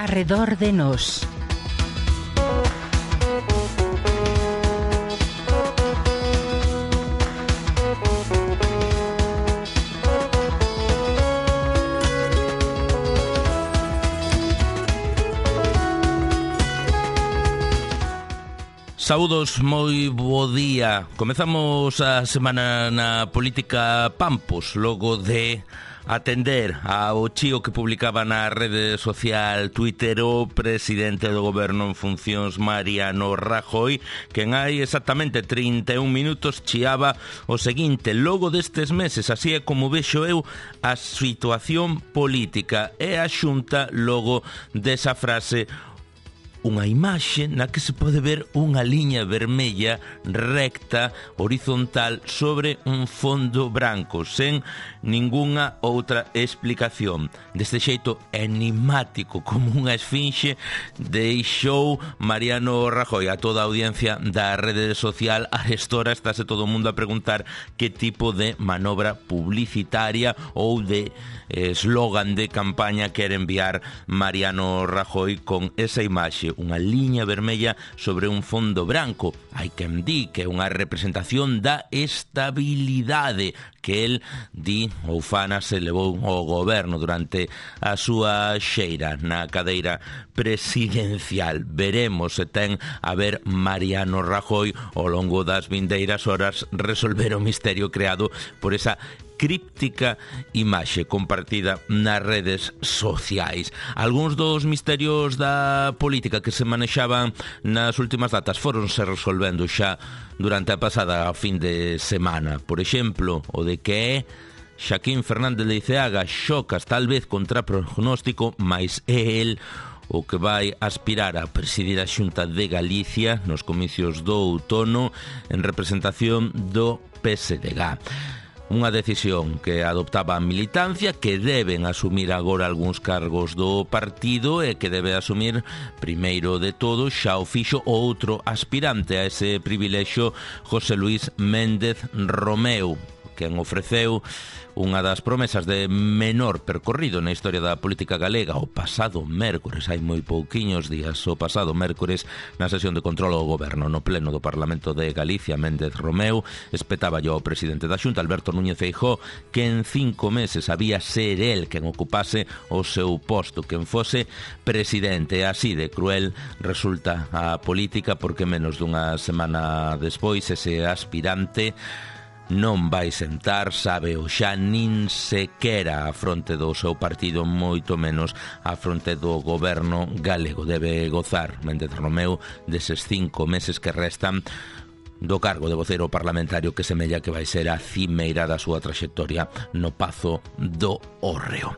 Arredor de nós. Saúdos, moi bo día. Comezamos a semana na política Pampos, logo de atender ao chío que publicaba na rede social Twitter o presidente do goberno en funcións, Mariano Rajoy, que en hai exactamente 31 minutos chiaba o seguinte: logo destes meses, así é como vexo eu a situación política, e a Xunta logo desa frase unha imaxe na que se pode ver unha liña vermella recta, horizontal, sobre un fondo branco, sen ningunha outra explicación. Deste xeito enigmático, como unha esfinxe, deixou Mariano Rajoy a toda a audiencia da rede social. A estora estáse todo o mundo a preguntar que tipo de manobra publicitaria ou de eslogan de campaña quere enviar Mariano Rajoy con esa imaxe, unha liña vermella sobre un fondo branco. Hai quen di que é unha representación da estabilidade que el di ou fana se levou ao goberno durante a súa xeira na cadeira presidencial. Veremos se ten a ver Mariano Rajoy ao longo das vindeiras horas resolver o misterio creado por esa críptica imaxe compartida nas redes sociais. Algúns dos misterios da política que se manexaban nas últimas datas foronse resolvendo xa durante a pasada fin de semana. Por exemplo, o de que Xaquín Fernández Leiceaga xocas tal vez contra prognóstico, mais é el o que vai aspirar a presidir a Xunta de Galicia nos comicios do outono en representación do PSDG. Unha decisión que adoptaba a militancia, que deben asumir agora algúns cargos do partido e que debe asumir primeiro de todo, xa o fixo outro aspirante a ese privilexio, José Luis Méndez Romeu, quen ofreceu unha das promesas de menor percorrido na historia da política galega o pasado mércores, hai moi pouquiños días, o pasado mércores, na sesión de control ao goberno no pleno do Parlamento de Galicia. Méndez Romeu espetaba ao presidente da Xunta, Alberto Núñez Feijóo, que en 5 meses había ser el quen ocupase o seu posto, quen fose presidente. Así de cruel resulta a política, porque menos dunha semana despois ese aspirante non vai sentar, sabe o xa, nin sequera a fronte do seu partido, moito menos a fronte do goberno galego. Debe gozar Méndez Romeu deses 5 meses que restan do cargo de voceiro parlamentario, que semella que vai ser a cimeira da súa traxectoria no Pazo do Hórreo.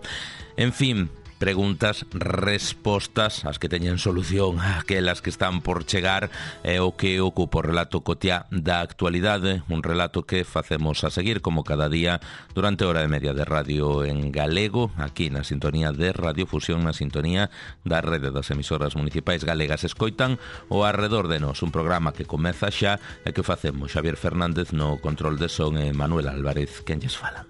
En fin, preguntas, respostas, as que teñen solución, aquelas que están por chegar, é o que ocupa o relato cotiá da actualidade, un relato que facemos a seguir como cada día durante hora e media de radio en galego, aquí na sintonía de Radio Fusión, na sintonía da rede das emisoras municipais galegas. Escoitan o Arredor de Nós, un programa que comeza xa e que facemos Xavier Fernández no control de son e Manuel Álvarez quen lles fala.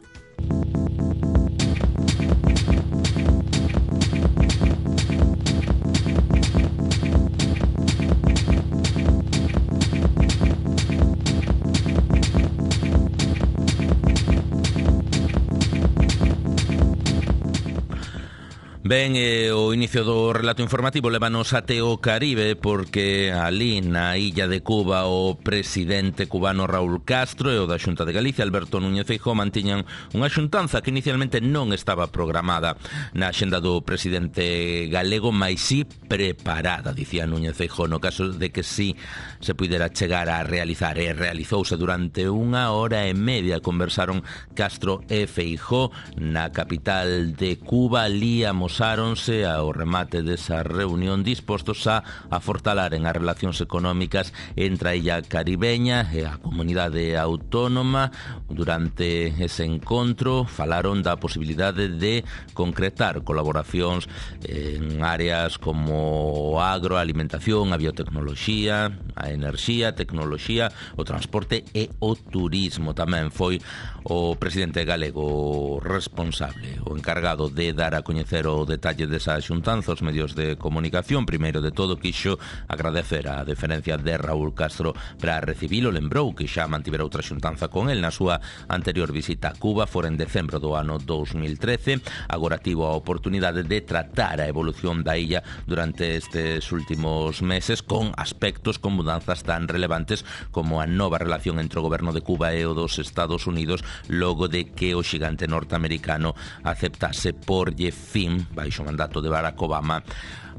Ben, o inicio do relato informativo levanos até o Caribe, porque ali na illa de Cuba o presidente cubano Raúl Castro e o da Xunta de Galicia, Alberto Núñez Feijóo, mantiñan unha xuntanza que inicialmente non estaba programada na axenda do presidente galego, mais sí preparada, dicía Núñez Feijóo, no caso de que sí se puidera chegar a realizar, e realizouse durante 1 hora e media. Conversaron Castro e Feijóo na capital de Cuba. Ali amosáronse ao remate desa reunión dispostos a afortalaren as relacións económicas entre a illa caribeña e a comunidade autónoma. Durante ese encontro falaron da posibilidade de concretar colaboracións en áreas como o agro, a alimentación, a biotecnoloxía, a enerxía, a tecnoloxía, o transporte e o turismo. Tamén foi o presidente galego responsable, o encargado de dar a coñecer o detalle desa xuntanza aos medios de comunicación. Primeiro de todo, quixo agradecer a deferencia de Raúl Castro para recibilo. Lembrou que xa mantivera outra xuntanza con el na súa anterior visita a Cuba, fora en decembro do ano 2013. Agora tivo a oportunidade de tratar a evolución da illa durante estes últimos meses, con aspectos, con mudanzas tan relevantes como a nova relación entre o goberno de Cuba e o dos Estados Unidos, logo de que o xigante norteamericano aceptase porlle fin, baixo o mandato de Barack Obama,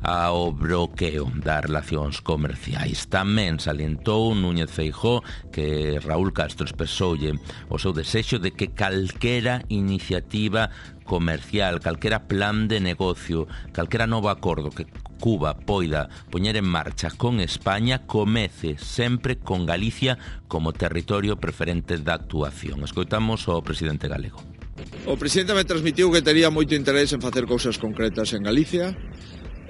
ao bloqueo das relacións comerciais. Tamén salientou Núñez Feijóo que Raúl Castro expresoulle o seu desexo de que calquera iniciativa comercial, calquera plan de negocio, calquera novo acordo que Cuba poida poñer en marcha con España comece sempre con Galicia como territorio preferente da actuación. Escoitamos ao presidente galego. O presidente me transmitiu que tería moito interés en facer cousas concretas en Galicia.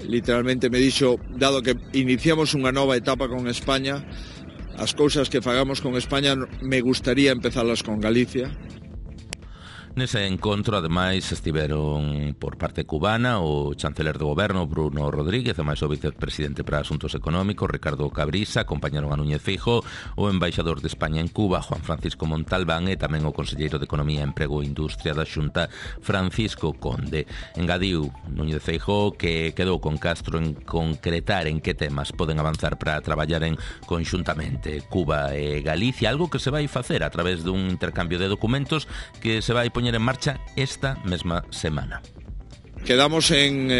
Literalmente me dixo, dado que iniciamos unha nova etapa con España, as cousas que fagamos con España me gustaría empezalas con Galicia. Nese encontro, ademais, estiveron por parte cubana o chanceler do goberno Bruno Rodríguez, e máis o vicepresidente para Asuntos Económicos Ricardo Cabrisa. Acompañaron a Núñez Feijóo o embaixador de España en Cuba, Juan Francisco Montalbán, e tamén o conselleiro de Economía, Emprego e Industria da Xunta, Francisco Conde. Engadiu Núñez Feijóo que quedou con Castro en concretar en que temas poden avanzar para traballar en conxuntamente Cuba e Galicia, algo que se vai facer a través dun intercambio de documentos que se vai poñer en marcha esta mesma semana. Quedamos en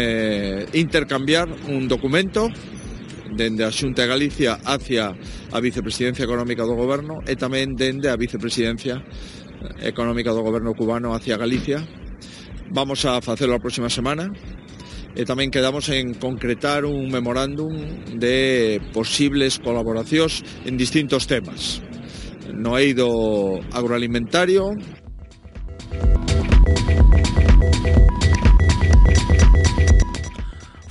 intercambiar un documento dende a Xunta de Galicia hacia a Vicepresidencia Económica do Goberno e tamén dende a Vicepresidencia Económica do Goberno cubano hacia Galicia. Vamos a facelo a próxima semana e tamén quedamos en concretar un memorándum de posibles colaboracións en distintos temas no eido agroalimentario.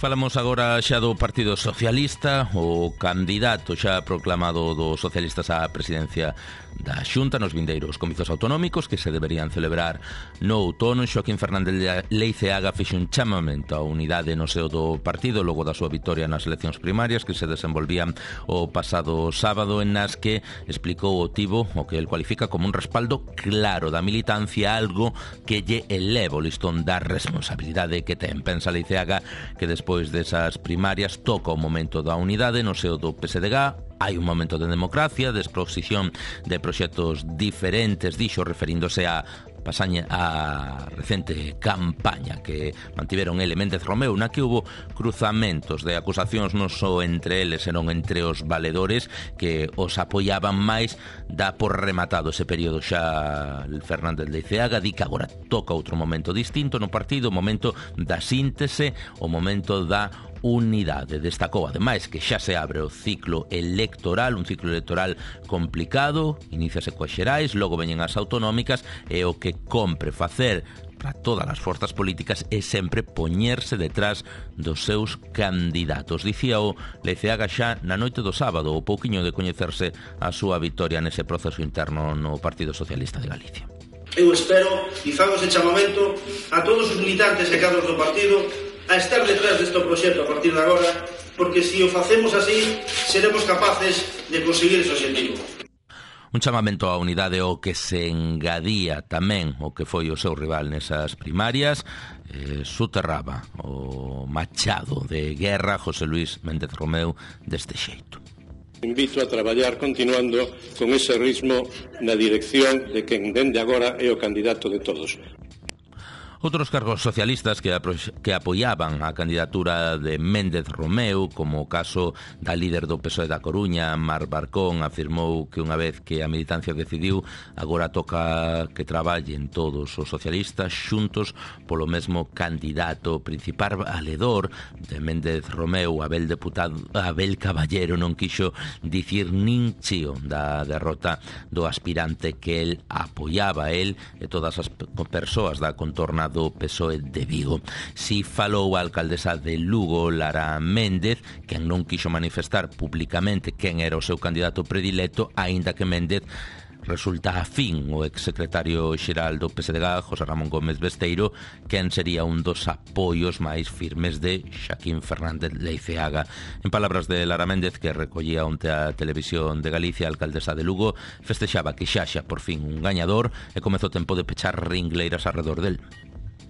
Falamos agora xa do Partido Socialista. O candidato xa proclamado dos socialistas á presidencia da Xunta nos vindeiros comicios autonómicos que se deberían celebrar no outono, Xoaquín Fernández Leiceaga fixo un chamamento á unidade no seo do partido logo da súa vitoria nas eleccións primarias que se desenvolvían o pasado sábado, en nas que explicou o tivo o que el cualifica como un respaldo claro da militancia, algo que lle eleva o listón da responsabilidade que ten. Pensa Leiceaga que despois desas primarias toca o momento da unidade no seo do PSDG. Hai un momento de democracia, de exposición de proxectos diferentes, dixo, referíndose a pasaña a recente campaña que mantiveron ele Méndez Romeu, na que hubo cruzamentos de acusacións non só entre eles, senón entre os valedores que os apoiaban máis. Dá por rematado ese período xa Fernández Leiceaga, di que agora toca outro momento distinto no partido, o momento da síntese, o momento da unidade. Destacou ademais que xa se abre o ciclo electoral, un ciclo electoral complicado, iníciase coas xerais, logo veñen as autonómicas, e o que compre facer para todas as forzas políticas é sempre poñerse detrás dos seus candidatos. Dicía o Leiceaga xa na noite do sábado, o pouquiño de coñecerse a súa vitoria nese proceso interno no Partido Socialista de Galicia. Eu espero e fago ese chamamento a todos os militantes e cadros do partido a estar detrás deste proxecto a partir de agora, porque se o facemos así seremos capaces de conseguir ese objetivo. Un chamamento á unidade o que se engadía tamén o que foi o seu rival nesas primarias, soterraba o machado de guerra José Luis Méndez Romeu deste xeito. Invito a traballar continuando con ese ritmo na dirección de quen dende agora é o candidato de todos. Outros cargos socialistas que apoiaban a candidatura de Méndez Romeu, como o caso da líder do PSOE da Coruña, Mar Barcón, afirmou que unha vez que a militancia decidiu, agora toca que traballen todos os socialistas xuntos polo mesmo candidato. Principal valedor de Méndez Romeu, Abel Caballero, non quixo dicir nin chío da derrota do aspirante que el apoiaba, el e todas as persoas da contorna do PSOE de Vigo. Si falou a alcaldesa de Lugo, Lara Méndez, quen non quixo manifestar públicamente quen era o seu candidato predilecto, aínda que Méndez resulta afín o exsecretario xeral do PSDG, José Ramón Gómez Besteiro, quen sería un dos apoios máis firmes de Xaquín Fernández Leiceaga. En palabras de Lara Méndez, que recollía onte a Televisión de Galicia, a alcaldesa de Lugo festexaba que xa por fin un gañador e comezou o tempo de pechar ringleiras arredor del.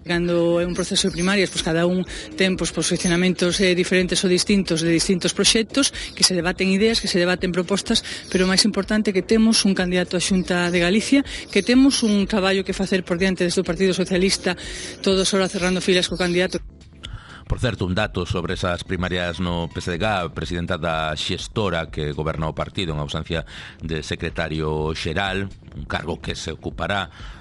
Cando é un proceso de primarias, pois cada un ten posicionamentos diferentes ou distintos de distintos proxectos, que se debaten ideas, que se debaten propostas, pero o máis importante é que temos un candidato a Xunta de Galicia, que temos un traballo que facer por diante desde o Partido Socialista, todos ahora cerrando filas co candidato. Por certo, un dato sobre esas primarias no PSDG, a presidenta da xestora que goberna o partido en ausencia de secretario xeral, un cargo que se ocupará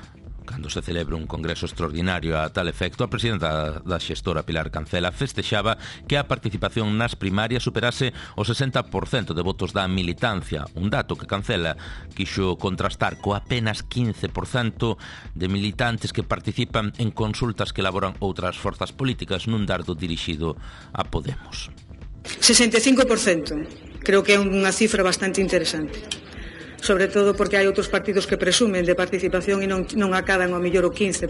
cando se celebre un congreso extraordinario a tal efecto. A presidenta da xestora, Pilar Cancela, festexaba que a participación nas primarias superase o 60% de votos da militancia, un dato que Cancela quixo contrastar co apenas 15% de militantes que participan en consultas que elaboran outras forzas políticas nun dardo dirixido a Podemos. 65%, creo que é unha cifra bastante interesante. Sobre todo porque hai outros partidos que presumen de participación e non acadan ao mellor o 15%.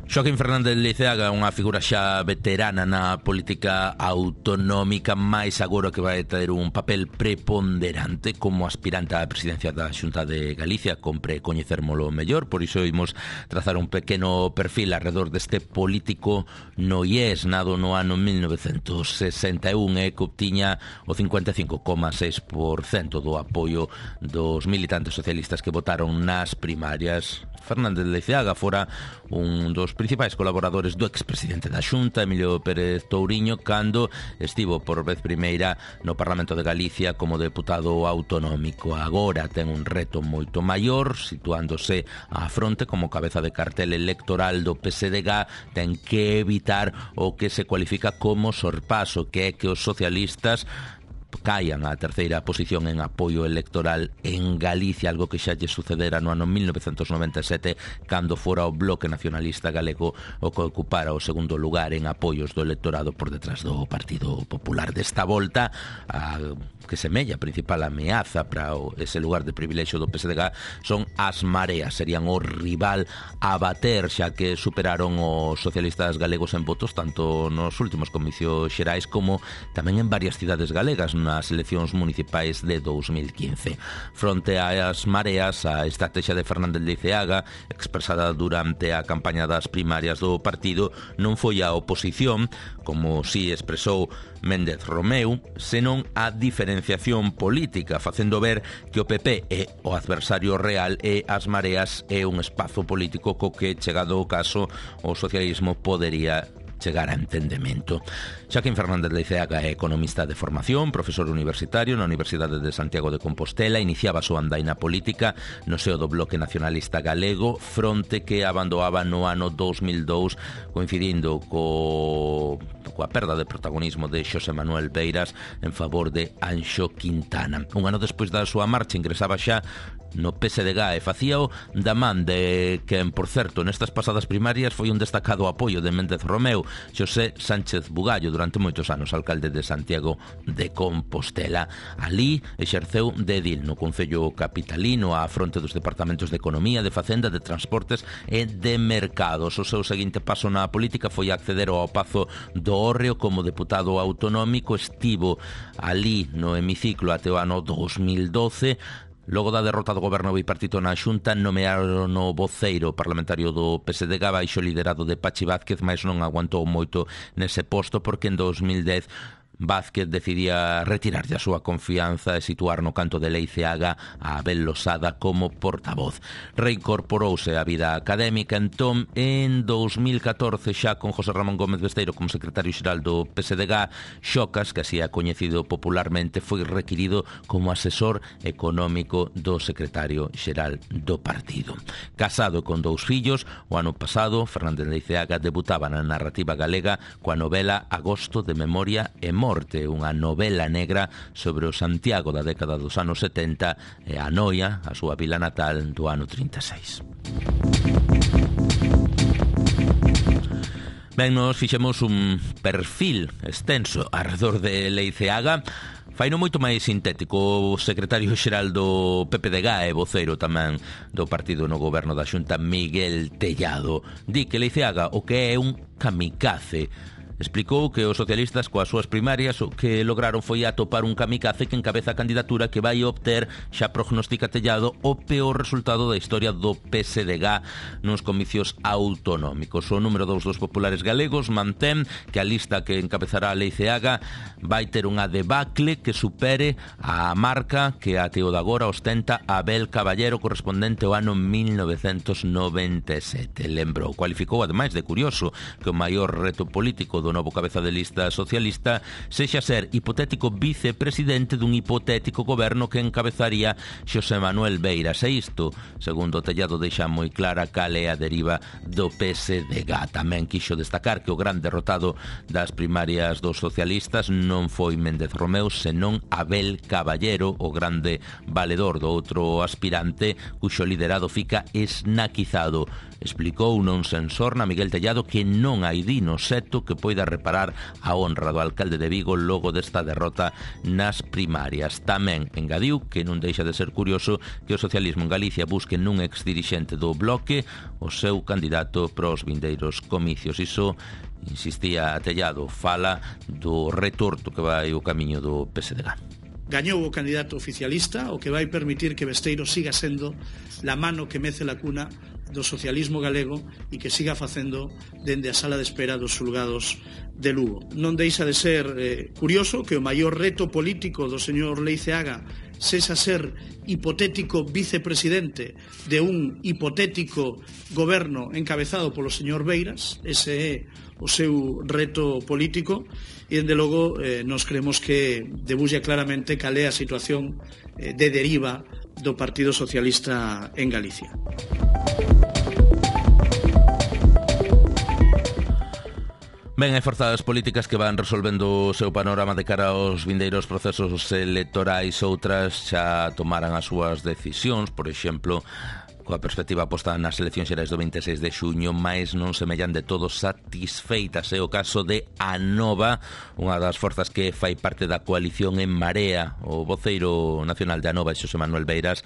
Xaquín Fernández Leiceaga é unha figura xa veterana na política autonómica, máis agora que vai ter un papel preponderante como aspirante á presidencia da Xunta de Galicia. Compre coñecérmolo mellor, por iso imos trazar un pequeno perfil alrededor deste político noiés, nado no ano 1961 e que obtiña o 55,6% do apoio dos militantes socialistas que votaron nas primarias. Fernández Leiceaga fora un dos principais colaboradores do expresidente da Xunta, Emilio Pérez Touriño, cando estivo por vez primeira no Parlamento de Galicia como deputado autonómico. Agora ten un reto moito maior, situándose á fronte como cabeza de cartel electoral do PSDG. Ten que evitar o que se cualifica como sorpaso, que é que os socialistas caian á terceira posición en apoio electoral en Galicia, algo que xa lle sucedera no ano 1997 cando fora o Bloque Nacionalista Galego o que ocupara o segundo lugar en apoios do electorado por detrás do Partido Popular. Desta volta, a que semella a principal ameaza para ese lugar de privilexio do PSDG son as mareas, serían o rival a bater, xa que superaron os socialistas galegos en votos tanto nos últimos comicios xerais como tamén en varias cidades galegas nas eleccións municipais de 2015. Fronte ás mareas, a estrategia de Fernández Leiceaga, expresada durante a campaña das primarias do partido, non foi a oposición, como si expresou Méndez Romeu, senón a diferenciación política, facendo ver que o PP é o adversario real e as mareas é un espazo político co que, chegado o caso, o socialismo podería chegar a entendemento. Xaquín Fernández Leiceaga é economista de formación, profesor universitario na Universidade de Santiago de Compostela, iniciaba a súa andaina política no seo do Bloque Nacionalista Galego, fronte que abandoaba no ano 2002, coincidindo coa perda de protagonismo de Xosé Manuel Beiras en favor de Anxo Quintana. Un ano despois da súa marcha ingresaba xa no PSDG e facíao da man de quen, por certo, nestas pasadas primarias foi un destacado apoio de Méndez Romeu, Xosé Sánchez Bugallo, durante moitos anos alcalde de Santiago de Compostela. Alí exerceu de edil no Concello Capitalino á fronte dos departamentos de Economía, de Facenda, de Transportes e de Mercados. O seu seguinte paso na política foi acceder ao Pazo do Hórreo como deputado autonómico. Estivo alí no hemiciclo até o ano 2012. Logo da derrota do goberno bipartito na Xunta, nomearon o voceiro parlamentario do PSDG baixo liderado de Pachi Vázquez, mas non aguantou moito nese posto porque en 2010 Vázquez decidía retirarlle a súa confianza e situar no canto de Leiceaga a Abel Losada como portavoz. Reincorporouse á vida académica entón en 2014 xa con José Ramón Gómez Besteiro como secretario xeral do PSDG. Xocas, que así é coñecido popularmente, foi requirido como asesor económico do secretario xeral do partido. Casado con 2 fillos, o ano pasado Fernández Leiceaga debutaba na narrativa galega coa novela Agosto de Memoria e Morte, unha novela negra sobre o Santiago da década dos anos 70 e a Noia, a súa vila natal, do ano 36. Ben, nos fixemos un perfil extenso arredor de Leiceaga. Faino moito máis sintético. O secretario xeral do PPDG e voceiro tamén do partido no goberno da Xunta, Miguel Tellado, di que Leiceaga o que é un kamikaze. Explicou que os socialistas coas súas primarias o que lograron foi atopar un kamikaze que encabeza a candidatura que vai obter, xa prognostica Tellado, o peor resultado da historia do PSDG nos comicios autonómicos. O número 2 dos populares galegos mantén que a lista que encabezará a Leiceaga vai ter unha debacle que supere a marca que até o de agora ostenta Abel Caballero, correspondente ao ano 1997. Lembrou, cualificou ademais de curioso que o maior reto político do novo cabeza de lista socialista sexa ser hipotético vicepresidente dun hipotético goberno que encabezaría Xosé Manuel Beiras. E isto, segundo Tellado, deixa moi clara cal é a deriva do PSDG. Tamén quixo destacar que o gran derrotado das primarias dos socialistas non foi Méndez Romeu, senón Abel Caballero, o grande valedor do outro aspirante, cuxo liderado fica esnaquizado. Explicou non sen sorna Miguel Tellado que non hai dino seto que poida reparar a honra do alcalde de Vigo logo desta derrota nas primarias. Tamén engadiu que non deixa de ser curioso que o socialismo en Galicia busque nun exdirixente do Bloque o seu candidato para os vindeiros comicios. Iso, insistía Tellado, fala do retorto que vai o camiño do PSDG. Gañou o candidato oficialista, o que vai permitir que Besteiro siga sendo la mano que mece la cuna do socialismo galego e que siga facendo dende a sala de espera dos xulgados de Lugo. Non deixa de ser curioso que o maior reto político do señor Leiceaga sexa ser hipotético vicepresidente de un hipotético goberno encabezado polo señor Beiras. Ese é o seu reto político e, dende logo, nos creemos que debulla claramente cal é a situación de deriva do Partido Socialista en Galicia. Ben, hai forzas políticas que van resolvendo o seu panorama de cara aos vindeiros procesos electorais. Outras xa tomaran as súas decisións, por exemplo, coa perspectiva posta nas eleccións xerais do 26 de xuño, mais non semellan de todo satisfeitas. É o caso de Anova, unha das forzas que fai parte da coalición En Marea. O voceiro nacional de Anova, Xosé Manuel Beiras,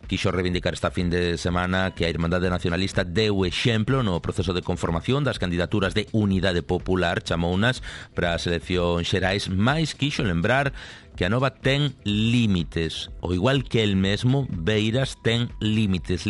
quixo reivindicar esta fin de semana que a Irmandade Nacionalista deu exemplo no proceso de conformación das candidaturas de Unidade Popular, chamounas, para as eleccións xerais, mais quixo lembrar que Anova ten límites, o igual que el mesmo, Beiras ten límites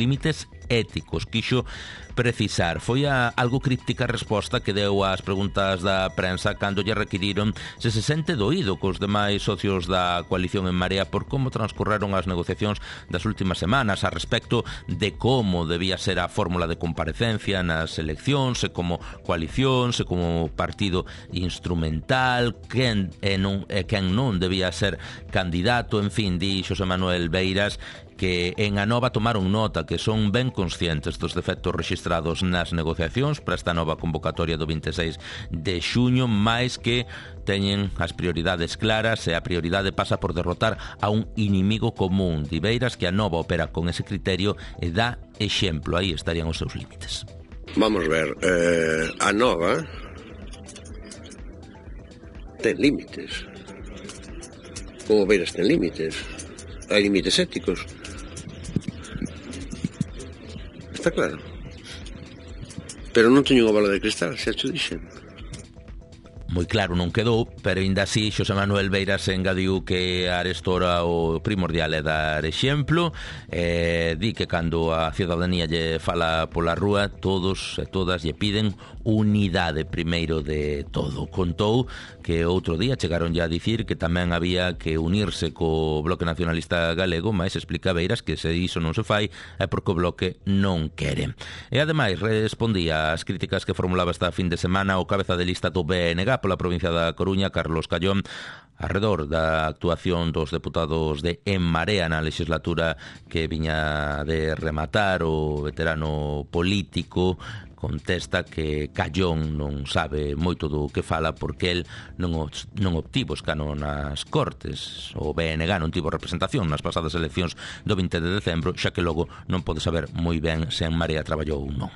éticos. Quixo precisar. Foi algo críptica a resposta que deu ás preguntas da prensa cando lle requiriron se sente doído cos demais socios da coalición En Marea por como transcorreron as negociacións das últimas semanas a respecto de como debía ser a fórmula de comparecencia nas eleccións, e como coalición, e como partido instrumental, quen non debía ser candidato. En fin, di Xosé Manuel Beiras que en Anova tomaron nota que son ben conscientes dos defectos rexistrados nas negociacións para esta nova convocatoria do 26 de xuño, máis que teñen as prioridades claras e a prioridade pasa por derrotar a un inimigo común. Di Beiras que Anova opera con ese criterio e dá exemplo. Aí estarían os seus límites. Vamos ver, Anova ten límites. Como Beiras ten límites. Hai límites éticos. Está claro. Pero non teño unha bola de cristal, xa te dixen. Moi claro non quedou, pero ainda así Xosé Manuel Beiras engadiu que arestora o primordial é dar exemplo. Di que cando a ciudadanía lle fala pola rúa, todos e todas lle piden unidade primeiro de todo. Contou que outro día chegaron ya a dicir que tamén había que unirse co Bloque Nacionalista Galego, mas explica Beiras que se iso non se fai é porque o Bloque non quere. E ademais respondía ás críticas que formulaba esta fin de semana o cabeza de lista do BNG pola provincia da Coruña, Carlos Callón, arredor da actuación dos deputados de En Marea na legislatura que viña de rematar. O veterano político contesta que Callón non sabe moito do que fala porque el non obtivo escano nas Cortes. O BNG non tivo representación nas pasadas eleccións do 20 de decembro, xa que logo non pode saber moi ben se En Marea traballou ou non.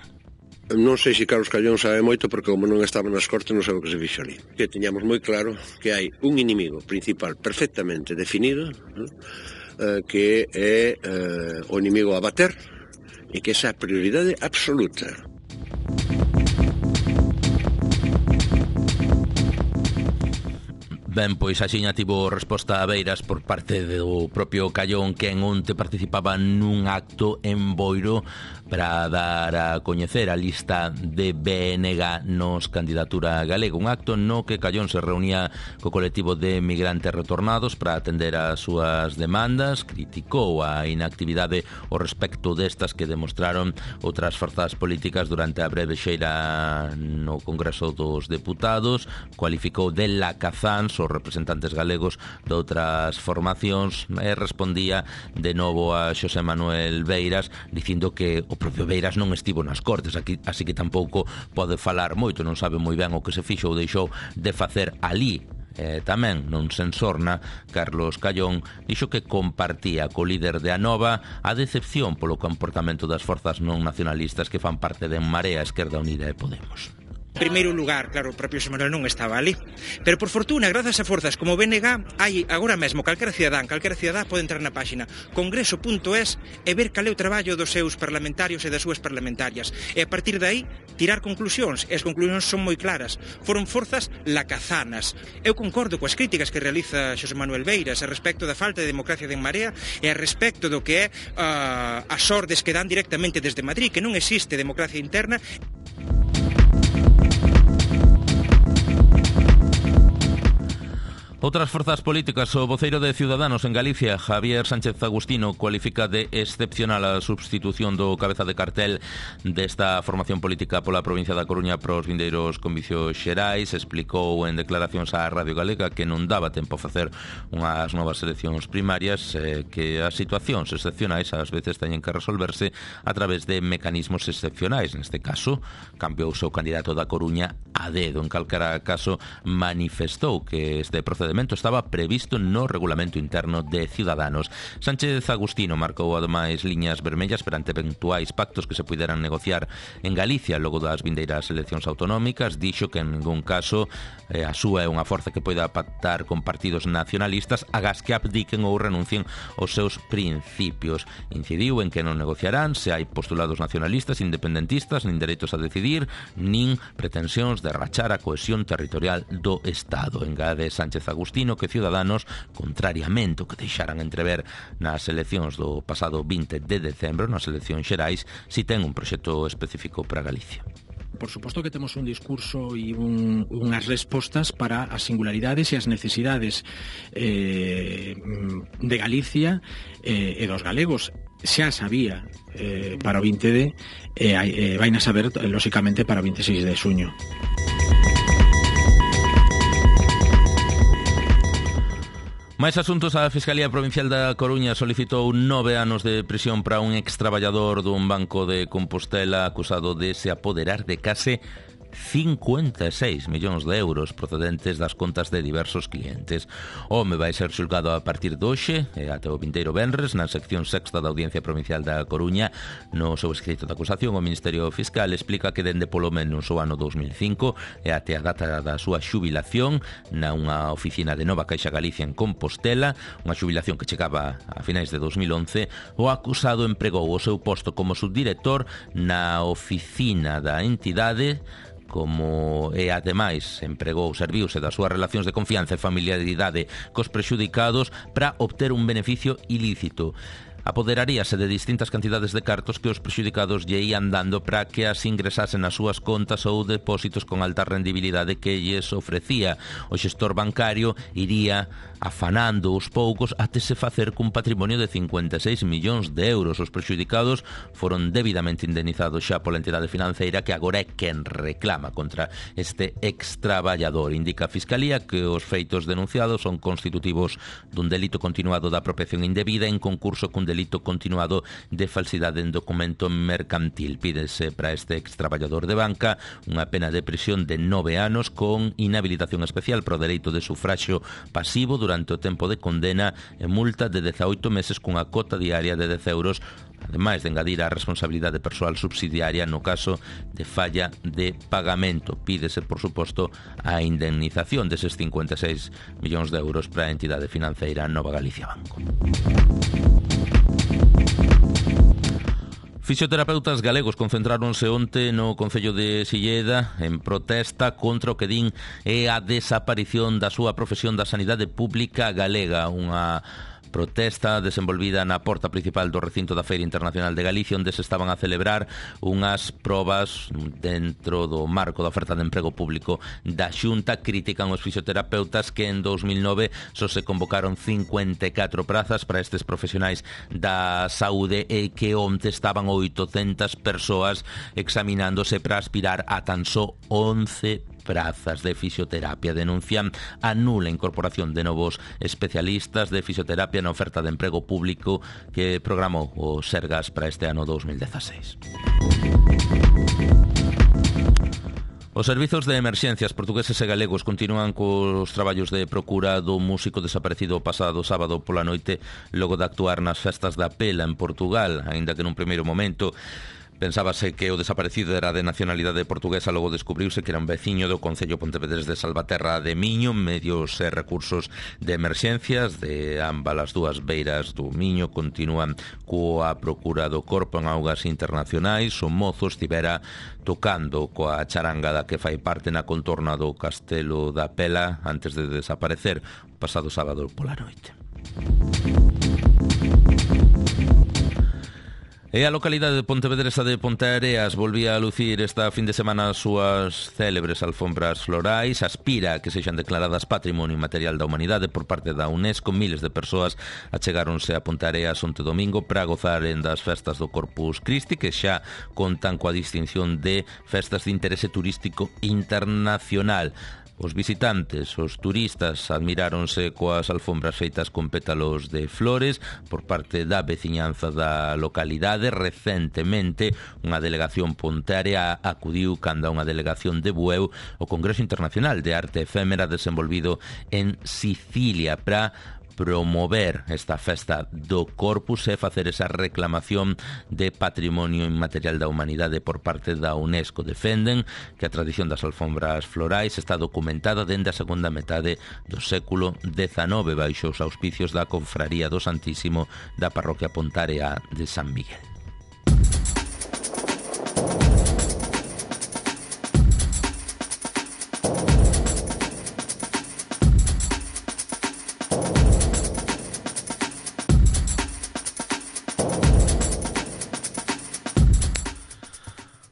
Non sei se Carlos Callón sabe moito porque como non estaba nas Cortes non sabe o que se fixo ali. Que teñamos moi claro que hai un inimigo principal perfectamente definido, que é o inimigo a bater e que esa é a prioridade absoluta. Ben, pois axiña tivo resposta a Beiras por parte do propio Callón, que en onte participaba nun acto en Boiro para dar a coñecer a lista de BNG nos candidatura galega. Un acto no que Callón se reunía co colectivo de migrantes retornados para atender as súas demandas. Criticou a inactividade ao respecto destas que demostraron outras forzas políticas durante a breve xeira no Congreso dos Deputados. Cualificou de lacazáns os representantes galegos de outras formacións e respondía de novo a Xosé Manuel Beiras dicindo que o propio Beiras non estivo nas Cortes, así que tampouco pode falar moito, non sabe moi ben o que se fixo ou deixou de facer ali. Tamén non se ensorna, Carlos Callón dixo que compartía co líder de Anova a decepción polo comportamento das forzas non nacionalistas que fan parte de En Marea, Esquerda Unida e Podemos. En primeiro lugar, claro, o propio Xosé Manuel non estaba ali, pero por fortuna, grazas a forzas como BNG, hai agora mesmo calquera cidadán pode entrar na páxina congreso.es e ver cal é o traballo dos seus parlamentarios e das súas parlamentarias, e a partir de aí tirar conclusións, e as conclusións son moi claras. Foron forzas lacazanas. Eu concordo coas críticas que realiza Xosé Manuel Beiras a respecto da falta de democracia de En Marea e a respecto do que é as ordes que dan directamente desde Madrid, que non existe democracia interna. Outras forzas políticas, o voceiro de Ciudadanos en Galicia, Javier Sánchez Agustino, cualifica de excepcional a substitución do cabeza de cartel desta formación política pola provincia da Coruña pros vindeiros comicios xerais. Explicou en declaracións á Radio Galega que non daba tempo a facer unhas novas eleccións primarias, que as situacións excepcionais ás veces teñen que resolverse a través de mecanismos excepcionais. Neste caso, cambiou o seu candidato da Coruña a dedo. En calquera caso, manifestou que este procedimento estaba previsto no regulamento interno de Ciudadanos. Sánchez Agustino marcou ademais liñas vermellas perante eventuais pactos que se puderan negociar en Galicia logo das vindeiras eleccións autonómicas. Dixo que en ningún caso a súa é unha forza que poida pactar con partidos nacionalistas agás que abdiquen ou renuncien aos seus principios. Incidiu en que non negociarán se hai postulados nacionalistas, independentistas, nin dereitos a decidir, nin pretensións de rachar a cohesión territorial do Estado. Engade Sánchez Agustino que Ciudadanos, contrariamente ao que deixaran entrever nas eleccións do pasado 20 de decembro, nas eleccións xerais, si ten un proxecto específico para Galicia. Por suposto que temos un discurso e unhas respostas para as singularidades e as necesidades de Galicia e dos galegos. Xa sabía para o 20D e vaina saber, lóxicamente, para o 26 de xuño. Máis asuntos. A Fiscalía Provincial da Coruña solicitou 9 anos de prisión para un extraballador dun banco de Compostela acusado de se apoderar de case 56 millóns de euros procedentes das contas de diversos clientes. O home vai ser xulgado a partir de hoxe e até o vindeiro venres na sección sexta da Audiencia Provincial da Coruña. No seu escrito de acusación, o Ministerio Fiscal explica que dende polo menos o ano 2005 e até a data da súa xubilación na unha oficina de Nova Caixa Galicia en Compostela, unha xubilación que chegaba a finais de 2011, o acusado empregou o seu posto como subdirector na oficina da entidade, como e ademais empregou, serviuse das súas relacións de confianza e familiaridade cos prexudicados para obter un beneficio ilícito. Apoderaríase de distintas cantidades de cartos que os prexudicados lle ían dando para que as ingresasen nas súas contas ou depósitos con alta rendibilidade que lles ofrecía. O xestor bancario iría afanando os poucos até se facer cun patrimonio de 56 millóns de euros. Os prexudicados foron debidamente indemnizados xa pola entidade financeira que agora é quen reclama contra este extraballador. Indica a Fiscalía que os feitos denunciados son constitutivos dun delito continuado da apropiación indebida en concurso cun delito continuado de falsidade en documento mercantil. Pídese para este extraballador de banca unha pena de prisión de 9 anos con inhabilitación especial pro dereito de sufraxio pasivo durante o tempo de condena e multa de 18 meses cunha cota diaria de 10 euros ademais de engadir a responsabilidade persoal subsidiaria no caso de falla de pagamento. Pídese, por suposto, a indemnización deses 56 millóns de euros para a entidade financeira Nova Galicia Banco. Fisioterapeutas galegos concentráronse onte no Concello de Silleda en protesta contra o que din é a desaparición da súa profesión da sanidade pública galega, unha protesta desenvolvida na porta principal do recinto da Feira Internacional de Galicia, onde se estaban a celebrar unhas probas dentro do marco da oferta de emprego público da Xunta. Critican os fisioterapeutas que en 2009 só se convocaron 54 prazas para estes profesionais da saúde e que onte estaban 800 persoas examinándose para aspirar a tan só 11 prazas de fisioterapia. Denuncian a nula incorporación de novos especialistas de fisioterapia na oferta de emprego público que programou o Sergas para este ano 2016. Os servizos de emerxencias portugueses e galegos continúan cos traballos de procura do músico desaparecido o pasado sábado pola noite logo de actuar nas festas da Pela en Portugal, aínda que nun primeiro momento pensábase que o desaparecido era de nacionalidade portuguesa, logo descubriuse que era un veciño do Concello Pontevedrés de Salvaterra de Miño. Medios e recursos de emerxencias de ambas as dúas beiras do Miño continúan coa procura do corpo en augas internacionais. O mozo estivera tocando coa charanga da que fai parte na contorna do Castelo da Pela antes de desaparecer o pasado sábado pola noite. E a localidade de Pontevedresa de Ponteareas volvía a lucir esta fin de semana as súas célebres alfombras florais. Aspira a que sexan declaradas Patrimonio Inmaterial da Humanidade por parte da UNESCO. Miles de persoas achegáronse a Ponteareas onte domingo para gozaren das festas do Corpus Christi, que xa contan coa distinción de festas de interese turístico internacional. Os visitantes, os turistas, admiráronse coas alfombras feitas con pétalos de flores por parte da veciñanza da localidade. Recentemente, unha delegación pontearea acudiu canda unha delegación de Bueu ao Congreso Internacional de Arte Efémera desenvolvido en Sicilia para promover esta festa do Corpus e facer esa reclamación de Patrimonio Inmaterial da Humanidade por parte da UNESCO. Defenden que a tradición das alfombras florais está documentada dende a segunda metade do século XIX baixo os auspicios da Confraría do Santísimo da parroquia pontarea de San Miguel.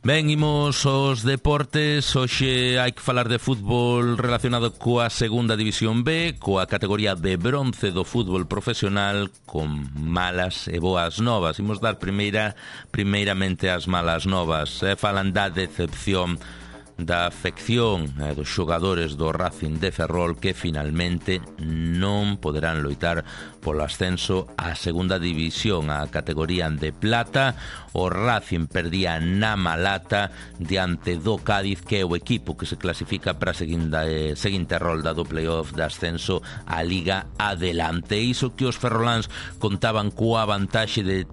Ben, imos aos deportes. Hoxe hai que falar de fútbol relacionado coa segunda división B, coa categoría de bronce do fútbol profesional, con malas e boas novas. Imos dar primeiramente as malas novas. Falan da decepción da afección dos xogadores do Racing de Ferrol, que finalmente non poderán loitar polo ascenso á segunda división, a categoría de plata. O Racing perdía na Malata diante do Cádiz, que é o equipo que se clasifica para a seguinte rolda do playoff de ascenso á Liga Adelante. Iso que os ferroláns contaban coa vantaxe de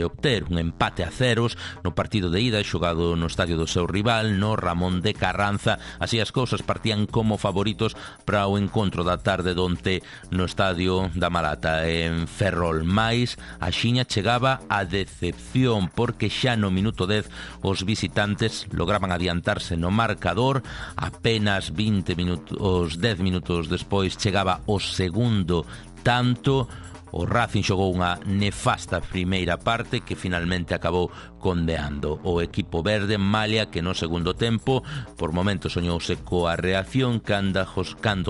obter un empate a ceros no partido de ida xogado no estadio do seu rival, no Ramón de Carranza. Así as cousas partían como favoritos para o encontro da tarde donte no estadio da Malata en Ferrol. Mais a xiña chegaba a decepción, porque xa no minuto 10 os visitantes lograban adiantarse no marcador. Apenas 10 minutos despois chegaba o segundo tanto. O Racing xogou unha nefasta primeira parte que finalmente acabou condeando o equipo verde, malia que no segundo tempo por momentos soñouse coa reacción cando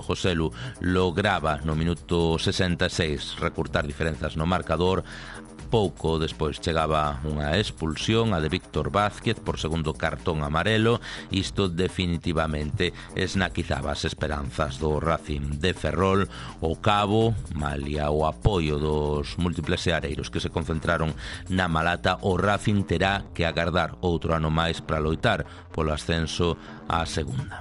Joselu lograba no minuto 66 recurtar diferenzas no marcador. Pouco despois chegaba unha expulsión, a de Víctor Vázquez, por segundo cartón amarelo. Isto definitivamente esnaquizaba as esperanzas do Racing de Ferrol. O cabo, malia o apoio dos múltiples seareiros que se concentraron na Malata, o Racing terá que agardar outro ano máis para loitar polo ascenso á segunda.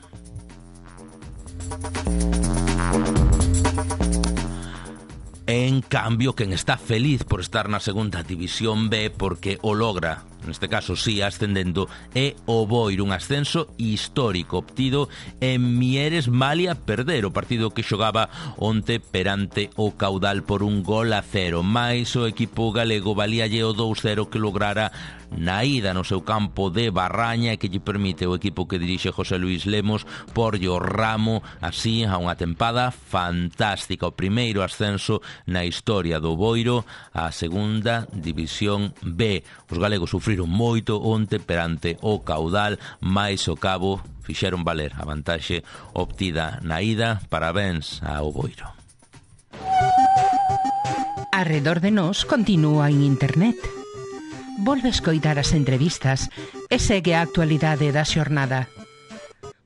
En cambio, quen está feliz por estar na segunda división B porque o logra, neste caso sí, ascendendo, é o Boiro, un ascenso histórico obtido en Mieres malia perder o partido que xogaba onte perante o Caudal por 1-0, mais o equipo galego valíalle o 2-0 que lograra na ida no seu campo de Barraña e que lle permite o equipo que dirixe José Luis Lemos porlle o ramo así a unha tempada fantástica, o primeiro ascenso na historia do Boiro á segunda división B. Os galegos sufriron moito onte perante o Caudal, mais o cabo fixeron valer a vantaxe obtida na ida. Parabéns ao Boiro. Arredor de nós continúa en internet. Volve escoitar as entrevistas e segue a actualidade da xornada.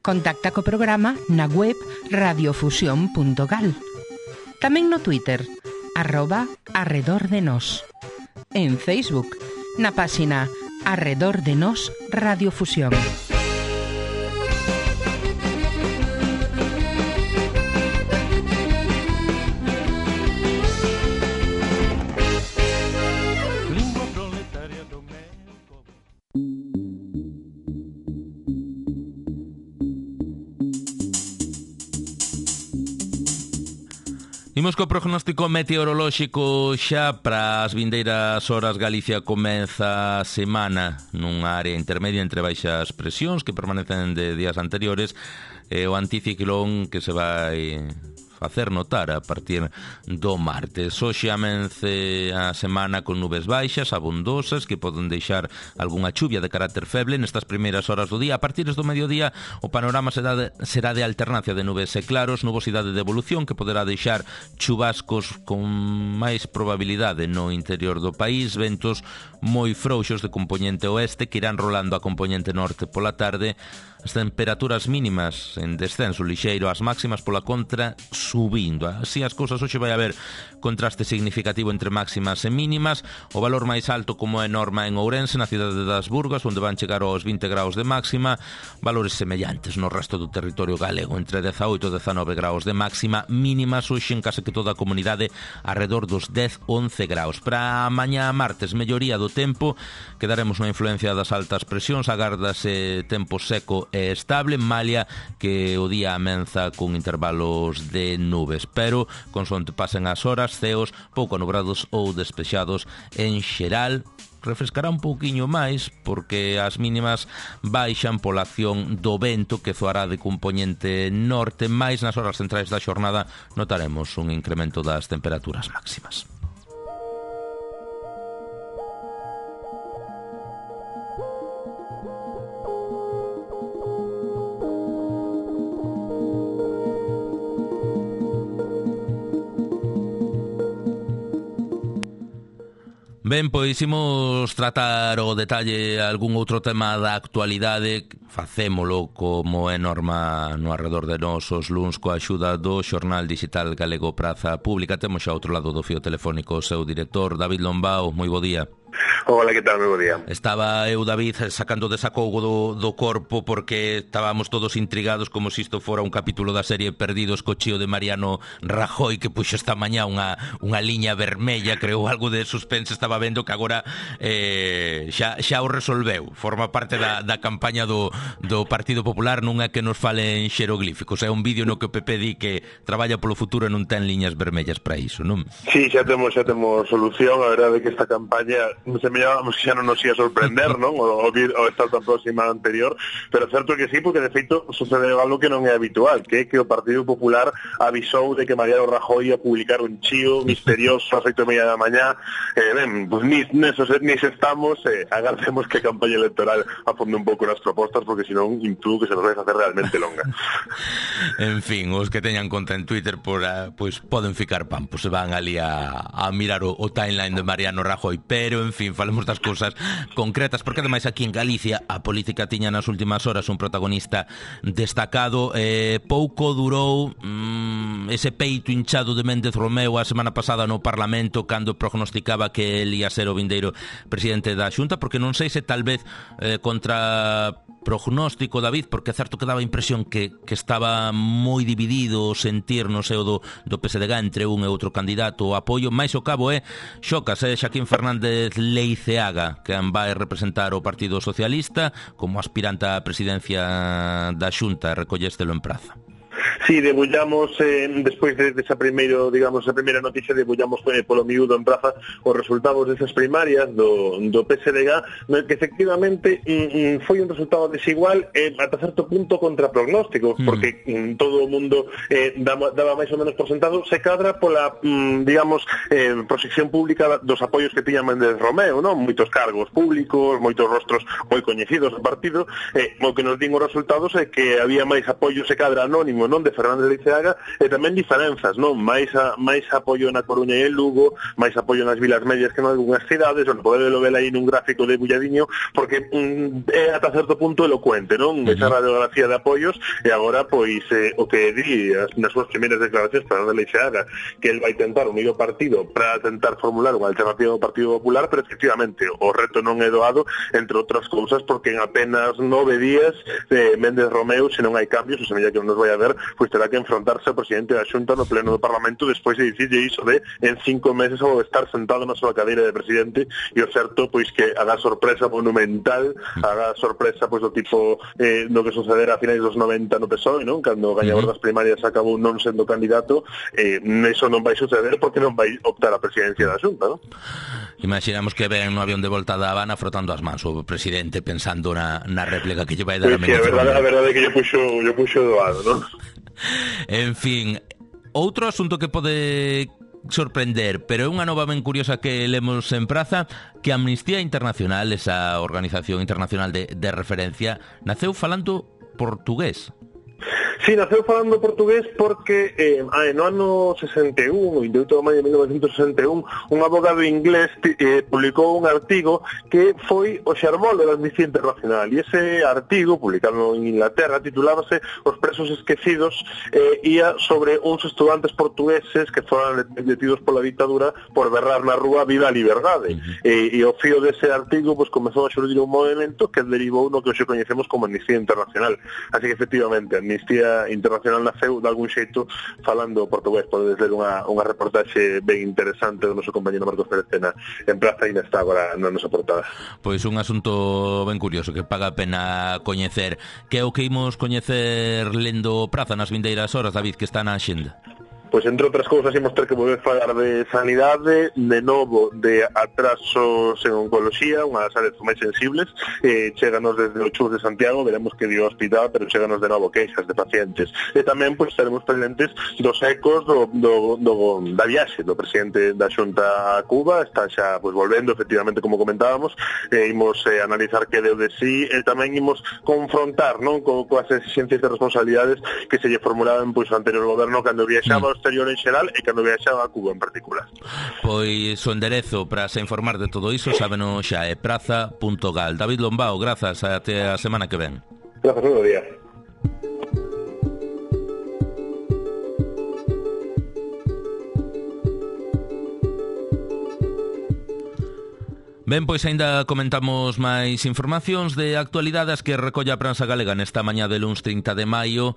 Contacta co programa na web radiofusión.gal. Tamén no Twitter, @arredordenos. En Facebook, na páxina Arredor de Nos Radiofusión. Imos co prognóstico meteorolóxico xa para as vindeiras horas. Galicia comeza a semana nunha área intermedia entre baixas presións que permanecen de días anteriores e o anticiclón que se vai facer notar a partir do martes. Hoxe amence a semana con nubes baixas, abondosas, que poden deixar algunha chuvia de carácter feble nestas primeiras horas do día. A partir do mediodía o panorama será de alternancia de nubes e claros, nubosidade de evolución que poderá deixar chubascos con máis probabilidade no interior do país, ventos moi frouxos de compoñente oeste que irán rolando a compoñente norte pola tarde. As temperaturas mínimas en descenso lixeiro, as máximas pola contra subindo. Así as cousas, hoxe vai haber contraste significativo entre máximas e mínimas. O valor máis alto, como é norma en Ourense, na cidade das Burgas, onde van chegar aos 20 graus de máxima, valores semellantes no resto do territorio galego, entre 18 e 19 graus de máxima, mínimas hoxe en case que toda a comunidade arredor dos 10-11 graus. Para mañá martes, melloría do tempo, quedaremos na influencia das altas presións, agárdase tempo seco e estable, malia que o día amenza con intervalos de nubes, pero consonte pasen as horas, ceos pouco nubrados ou despexados en xeral. Refrescará un pouquiño máis porque as mínimas baixan pola acción do vento que zoará de compoñente norte, máis nas horas centrais da xornada notaremos un incremento das temperaturas máximas. Ben, pois imos tratar o detalle algún outro tema da actualidade. Facémolo como é norma no Arredor de Nos os luns coa axuda do xornal digital galego Praza Pública. Temos xa outro lado do fío telefónico o seu director, David Lombao. Moi bo día. Hola, que tal? Moi bo día. Estaba eu, David, sacando desacougo do corpo porque estábamos todos intrigados como se isto fora un capítulo da serie Perdidos co chío de Mariano Rajoy, que puxo esta mañá unha liña vermella, creou algo de suspense. Estaba vendo que agora xa o resolveu. Forma parte da campaña do Partido Popular, non é que nos fale en xeroglíficos. É un vídeo no que o PP di que traballa polo futuro e non ten liñas vermellas para iso, non? Sí, xa temos solución. A verdade é que esta campaña semellábamos que xa non nos ia sorprender, non? O estar tan próxima anterior, pero certo que sí, porque de feito sucede algo que non é habitual, que é que o Partido Popular avisou de que Mariano Rajoy ia publicar un chío misterioso a 8:30 da mañá. Pues nis estamos, agardemos que a campaña electoral afonde un pouco nas propostas, porque senón intuo que se nos vai facer realmente longa. En fin, os que teñan conta en Twitter pois poden ficar pampos, se van ali a mirar o timeline de Mariano Rajoy, pero en en fin, falemos das cousas concretas, porque ademais aquí en Galicia a política tiña nas últimas horas un protagonista destacado. Pouco durou ese peito hinchado de Méndez Romeu a semana pasada no Parlamento cando prognosticaba que el ia ser o vindeiro presidente da Xunta, porque non sei se tal vez contra prognóstico, David, porque é certo que daba a impresión que estaba moi dividido o sentir no seo do PSDG entre un e outro candidato. O apoio máis ao cabo é Xocas, Xaquín Fernández Leiceaga, que vai representar o Partido Socialista como aspirante á presidencia da Xunta. Recollestelo en Praza. Sí, debullamos, despois desa primeira noticia, debullamos polo miúdo en Praza os resultados desas primarias do PSDG, que efectivamente foi un resultado desigual ata certo punto contra prognósticos, porque todo o mundo daba máis ou menos por sentado, se cadra pola, proxección pública dos apoios que tiña Méndez Romeu, non? Moitos cargos públicos, moitos rostros moi coñecidos do partido, o que nos din os resultados é que había máis apoio, se cadra anónimo, non, de Fernández Leiceaga, e tamén diferenzas, non? Máis apoio na Coruña e en Lugo, máis apoio nas Vilas Medias que en algunhas cidades, onde poderlo ver aí nun gráfico de bulladiño, porque é ata certo punto elocuente, non? Esa radiografía de apoios, e agora, pois, o que di nas súas primeiras declaracións Fernández Leiceaga, que el vai tentar unir o partido para tentar formular unha alternativa ao Partido Popular, pero efectivamente o reto non é doado, entre outras cousas, porque en apenas 9 días Méndez Romeu, se non hai cambios, o semella que nos vai a ver, pois terá que enfrontarse ao presidente da Xunta no pleno do Parlamento despois de dicirlle iso de en 5 meses ao estar sentado na súa cadeira de presidente, e o certo pois que haga sorpresa monumental, haga sorpresa pois do tipo do que sucedera a finais dos 90 no PSOE, non? Cando o gañador das primarias acabou non sendo candidato, eso non vai suceder porque non vai optar a presidencia da Xunta, non? Imaginamos que ven no avión de volta da Habana frotando as mans o presidente pensando na réplica que lle vai dar a Méndez Romeu. A verdade é que lle puxo doado, non? En fin, outro asunto que pode sorprender, pero é unha nova ben curiosa que lemos en Praza, que Amnistía Internacional, esa organización internacional de referencia, naceu falando portugués. Sí, naceu falando portugués porque no ano 61, o 28 de maio de 1961, un abogado inglés publicou un artigo que foi o xermolo da Amnistía Internacional, e ese artigo, publicado en Inglaterra, titulábase Os presos esquecidos, ia sobre uns estudantes portugueses que foran detidos pola ditadura por berrar na rúa "Viva a liberdade", e o fío dese artigo pues comezou a xurdir un movimento que derivou no que hoxe coñecemos como Amnistía Internacional. Así que efectivamente Amnistía Internacional naceu de algún xeito falando portugués. Podedes ler unha reportaxe ben interesante do noso compañero Marcos Pérez Tena en Praza, e está agora na nosa portada. Pois un asunto ben curioso que paga a pena coñecer. Que é o que imos coñecer lendo Praza nas vindeiras horas, David, que está na axenda? Pois, entre outras cousas, imos ter que volver falar de sanidade, de novo de atrasos en oncoloxía, unha das áreas máis sensibles. Chéganos desde o Chus de Santiago, veremos que dio hospital, pero chéganos de novo queixas de pacientes. E tamén, pois, estaremos pendentes dos ecos da viaxe do presidente da Xunta a Cuba. Está xa, pois, volvendo, efectivamente, como comentábamos. Imos analizar que deu de sí, e tamén imos confrontar, non, coas exigencias de responsabilidades que se lle formulaban, pois, o anterior goberno cando viaxaba exterior en xeral e cando viaxaba a Cuba en particular. Pois o enderezo para se informar de todo iso sábeno xa é praza.gal. David Lombao, grazas, até a semana que ven. Grazas, todo día. Ben, pois aínda comentamos máis informacións de actualidades que recolla a prensa galega nesta mañá de luns 30 de maio.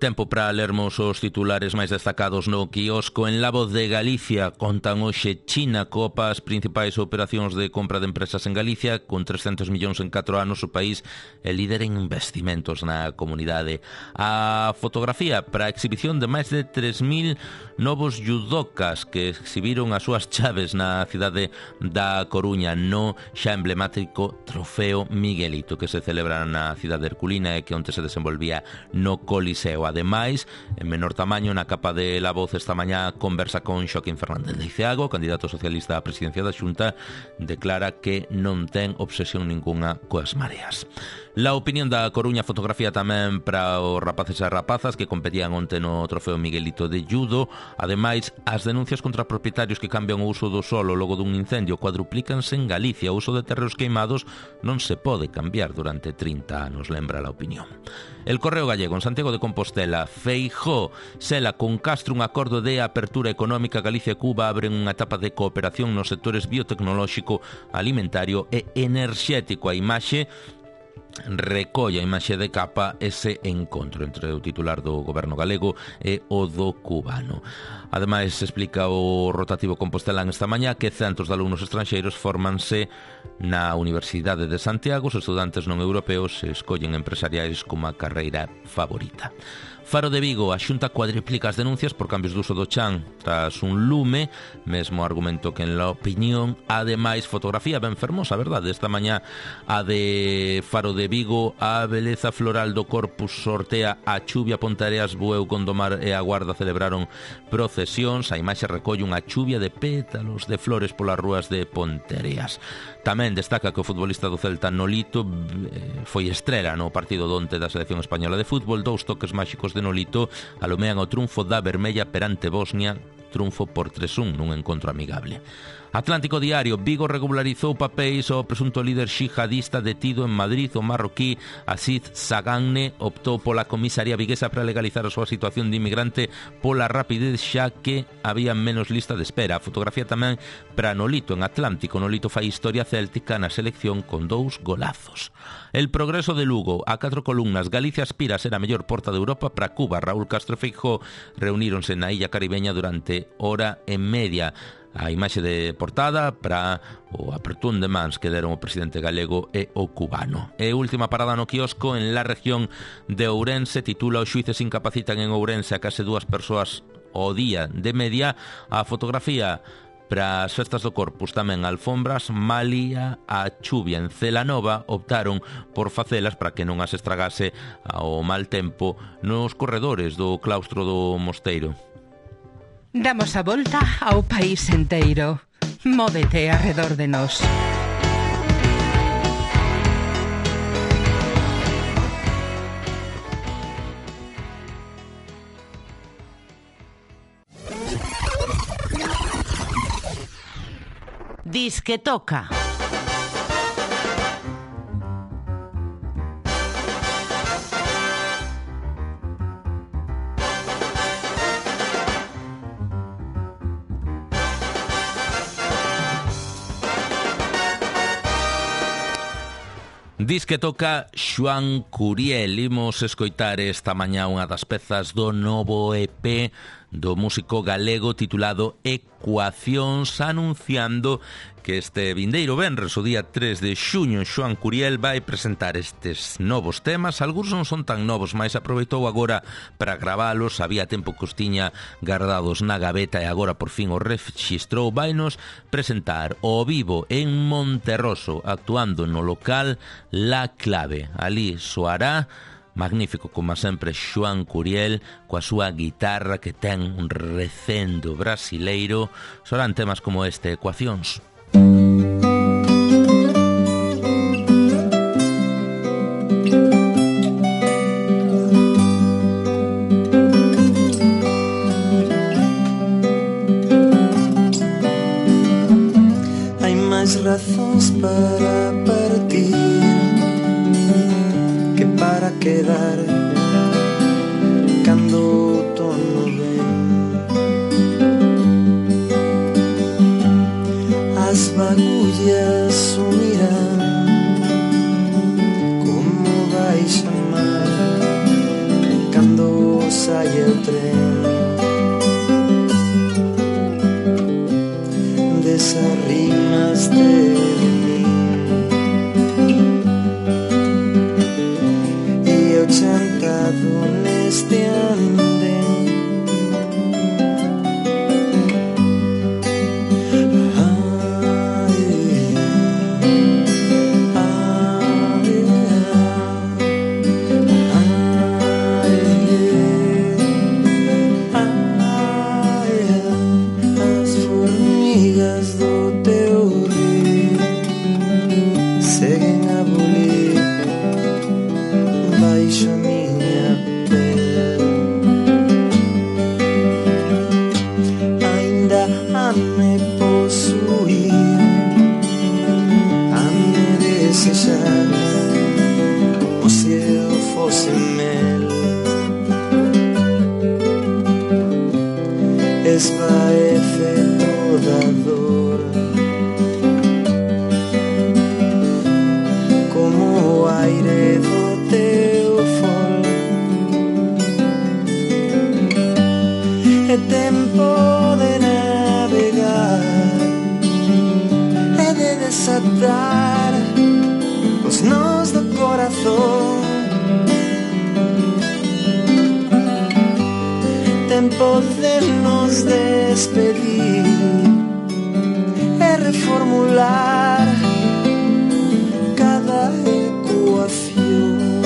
Tempo para lermos os titulares máis destacados no quiosco. En La Voz de Galicia contan hoxe China copa as principais operacións de compra de empresas en Galicia. Con 300 millóns en 4 anos, o país é líder en investimentos na comunidade. A fotografía para a exhibición de máis de 3.000 novos judocas que exhibiron as súas chaves na cidade da Coruña no xa emblemático Trofeo Miguelito, que se celebra na cidade herculina e que onte se desenvolvía no Coliseo. Ademais, en menor tamaño, na capa de La Voz esta mañá conversa con Xaquín Fernández Leiceaga, candidato socialista á presidencia da Xunta, declara que non ten obsesión ninguna coas mareas. La opinión da Coruña, fotografía tamén para os rapaces e rapazas que competían onte no trofeo Miguelito de Judo. Ademais, as denuncias contra propietarios que cambian o uso do solo logo dun incendio cuadruplícanse en Galicia. O uso de terreos queimados non se pode cambiar durante 30 anos, lembra la opinión. El Correo Gallego, en Santiago de Compostela, Feijóo sela con Castro un acordo de apertura económica. Galicia e Cuba abren unha etapa de cooperación nos sectores biotecnolóxico, alimentario e enerxético. A imaxe recolle a imaxe de capa ese encontro entre o titular do goberno galego e o do cubano. Ademais, explica o rotativo compostelán esta mañá que centos de alumnos estranxeiros fórmanse na Universidade de Santiago. Os estudantes non europeos escollen empresariais como a carreira favorita. Faro de Vigo, a Xunta cuadriplica as denuncias por cambios de uso do chan tras un lume, mesmo argumento que en la opinión. Ademais, fotografía ben fermosa, verdade? Esta mañá a de Faro de Vigo, a beleza floral do Corpus sortea a chuvia. Pontareas, Bueu, Gondomar e a Guarda celebraron procesións. A imaxe recolle unha chuvia de pétalos de flores polas rúas de Pontereas. Tamén destaca que o futbolista do Celta Nolito foi estrela no partido donte da selección española de fútbol. 2 toques máxicos de Nolito alomean o triunfo da Vermella perante Bosnia, triunfo por 3-1 nun encontro amigable. Atlántico Diario, Vigo regularizou papéis ao presunto líder xihadista detido en Madrid. O marroquí Aziz Saganne optou pola comisaría viguesa para legalizar a súa situación de inmigrante pola rapidez, xa que había menos lista de espera. A fotografía tamén para Nolito en Atlántico. Nolito fai historia céltica na selección con 2 golazos. El Progreso de Lugo, a 4 columnas. Galicia aspira a ser a mellor porta de Europa para Cuba. Raúl Castro e Feijóo reuníronse na illa caribeña durante hora e media. A imaxe de portada para o apertún de mans que deron o presidente galego e o cubano. E última parada no quiosco en la región de Ourense. Titula: os xuíces incapacitan en Ourense a case 2 persoas ao día de media. A fotografía para as festas do Corpus tamén alfombras. Malía a chuvia en Celanova, optaron por facelas para que non as estragase ao mal tempo nos corredores do claustro do mosteiro. Damos a volta ao país enteiro. Móvete arredor de nós. Disque toca. Dis que toca Xoán Curiel. Imos escoitar esta mañá unha das pezas do novo EP do músico galego titulado Ecuacións, anunciando que este vindeiro venres, o día 3 de xuño, Xoán Curiel vai presentar estes novos temas. Algúns non son tan novos, mas aproveitou agora para gravalos. Había tempo que os tiña guardados na gaveta e agora por fin o rexistrou. Vainos presentar ao vivo en Monterroso, actuando no local La Clave. Ali soará magnífico, como sempre, Xoán Curiel coa súa guitarra que ten un recendo brasileiro. Soarán temas como este, Ecuacións. Hai máis razóns para partir que para quedar cando o outono ven. As bagullas sumirán como vai chamar cando saia o tren desas rimas de chantado neste andén. As formigas do teu rio seguen a bulir desejar como se eu fosse mel. Esvaece toda dor como o aire do teu fol. É tempo de navegar, é de desatar os nós do corazón. Tempo de nos despedir, é reformular cada ecuación.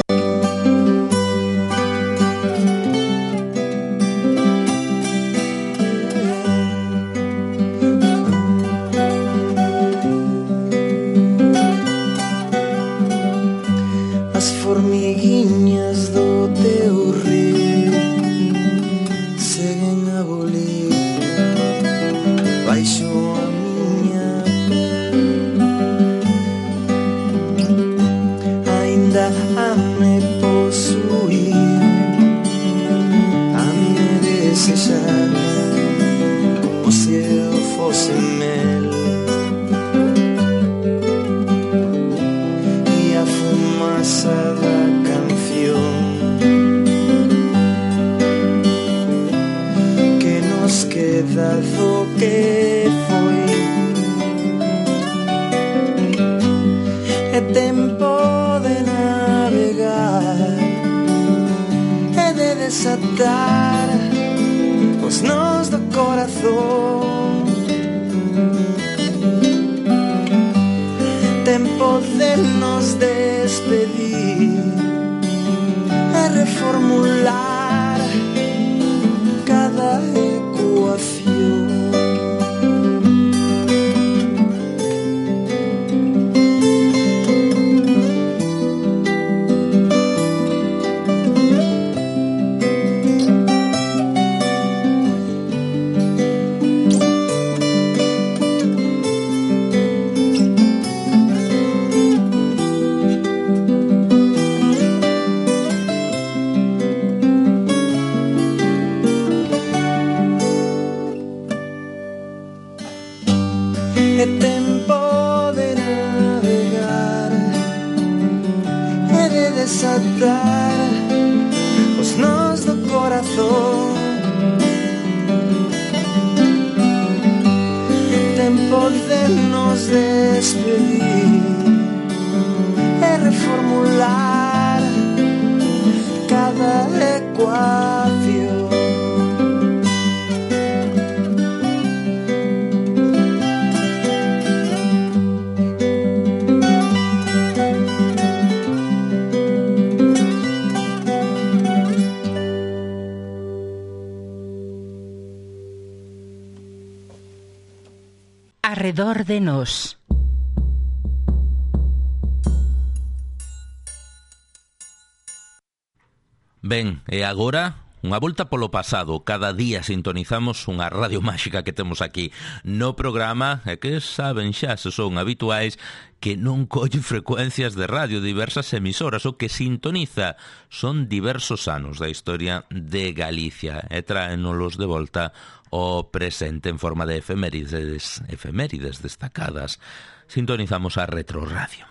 As formiguinhas do teu rio seguen a bolir baixo a miña pel. Ainda a me posuir, a me desejar como se eu fosse mel. E a fumaça da canción que nos queda do que foi. É tempo de navegar, é de desatar os nós do corazón. Tempo de nos despedir, é reformular cada ecuación. É tempo de navegar, é de desatar os nós do corazón. Tempo de nos despedir, é reformular cada ecuación. Arredor de nós. Ben, e agora unha volta polo pasado. Cada día sintonizamos unha radio máxica que temos aquí no programa e que saben xa, se son habituais, que non colle frecuencias de radio, diversas emisoras. O que sintoniza son diversos anos da historia de Galicia e traénolos de volta ao presente en forma de efemérides destacadas. Sintonizamos a Retroradio.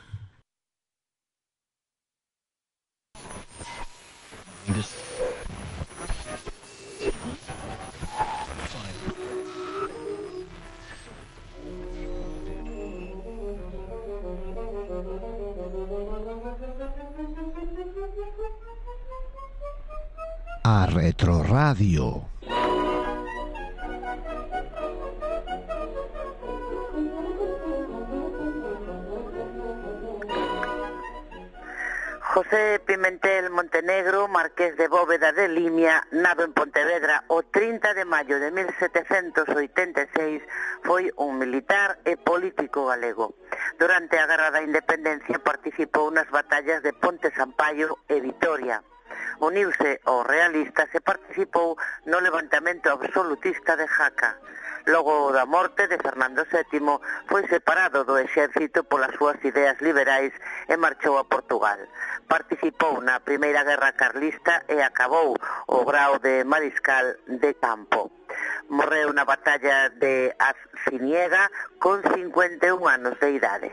A Retroradio. José Pimentel Montenegro, marqués de Bóveda de Limia, nado en Pontevedra o 30 de maio de 1786, foi un militar e político galego. Durante a Guerra da Independencia participou nas batallas de Ponte Sampaio e Vitoria. Uniuse aos realistas e participou no levantamento absolutista de Jaca. Logo da morte de Fernando VII foi separado do exército polas súas ideas liberais e marchou a Portugal. Participou na Primeira Guerra Carlista e acabou o grao de mariscal de campo. Morreu na batalla de Arciniega con 51 anos de idade.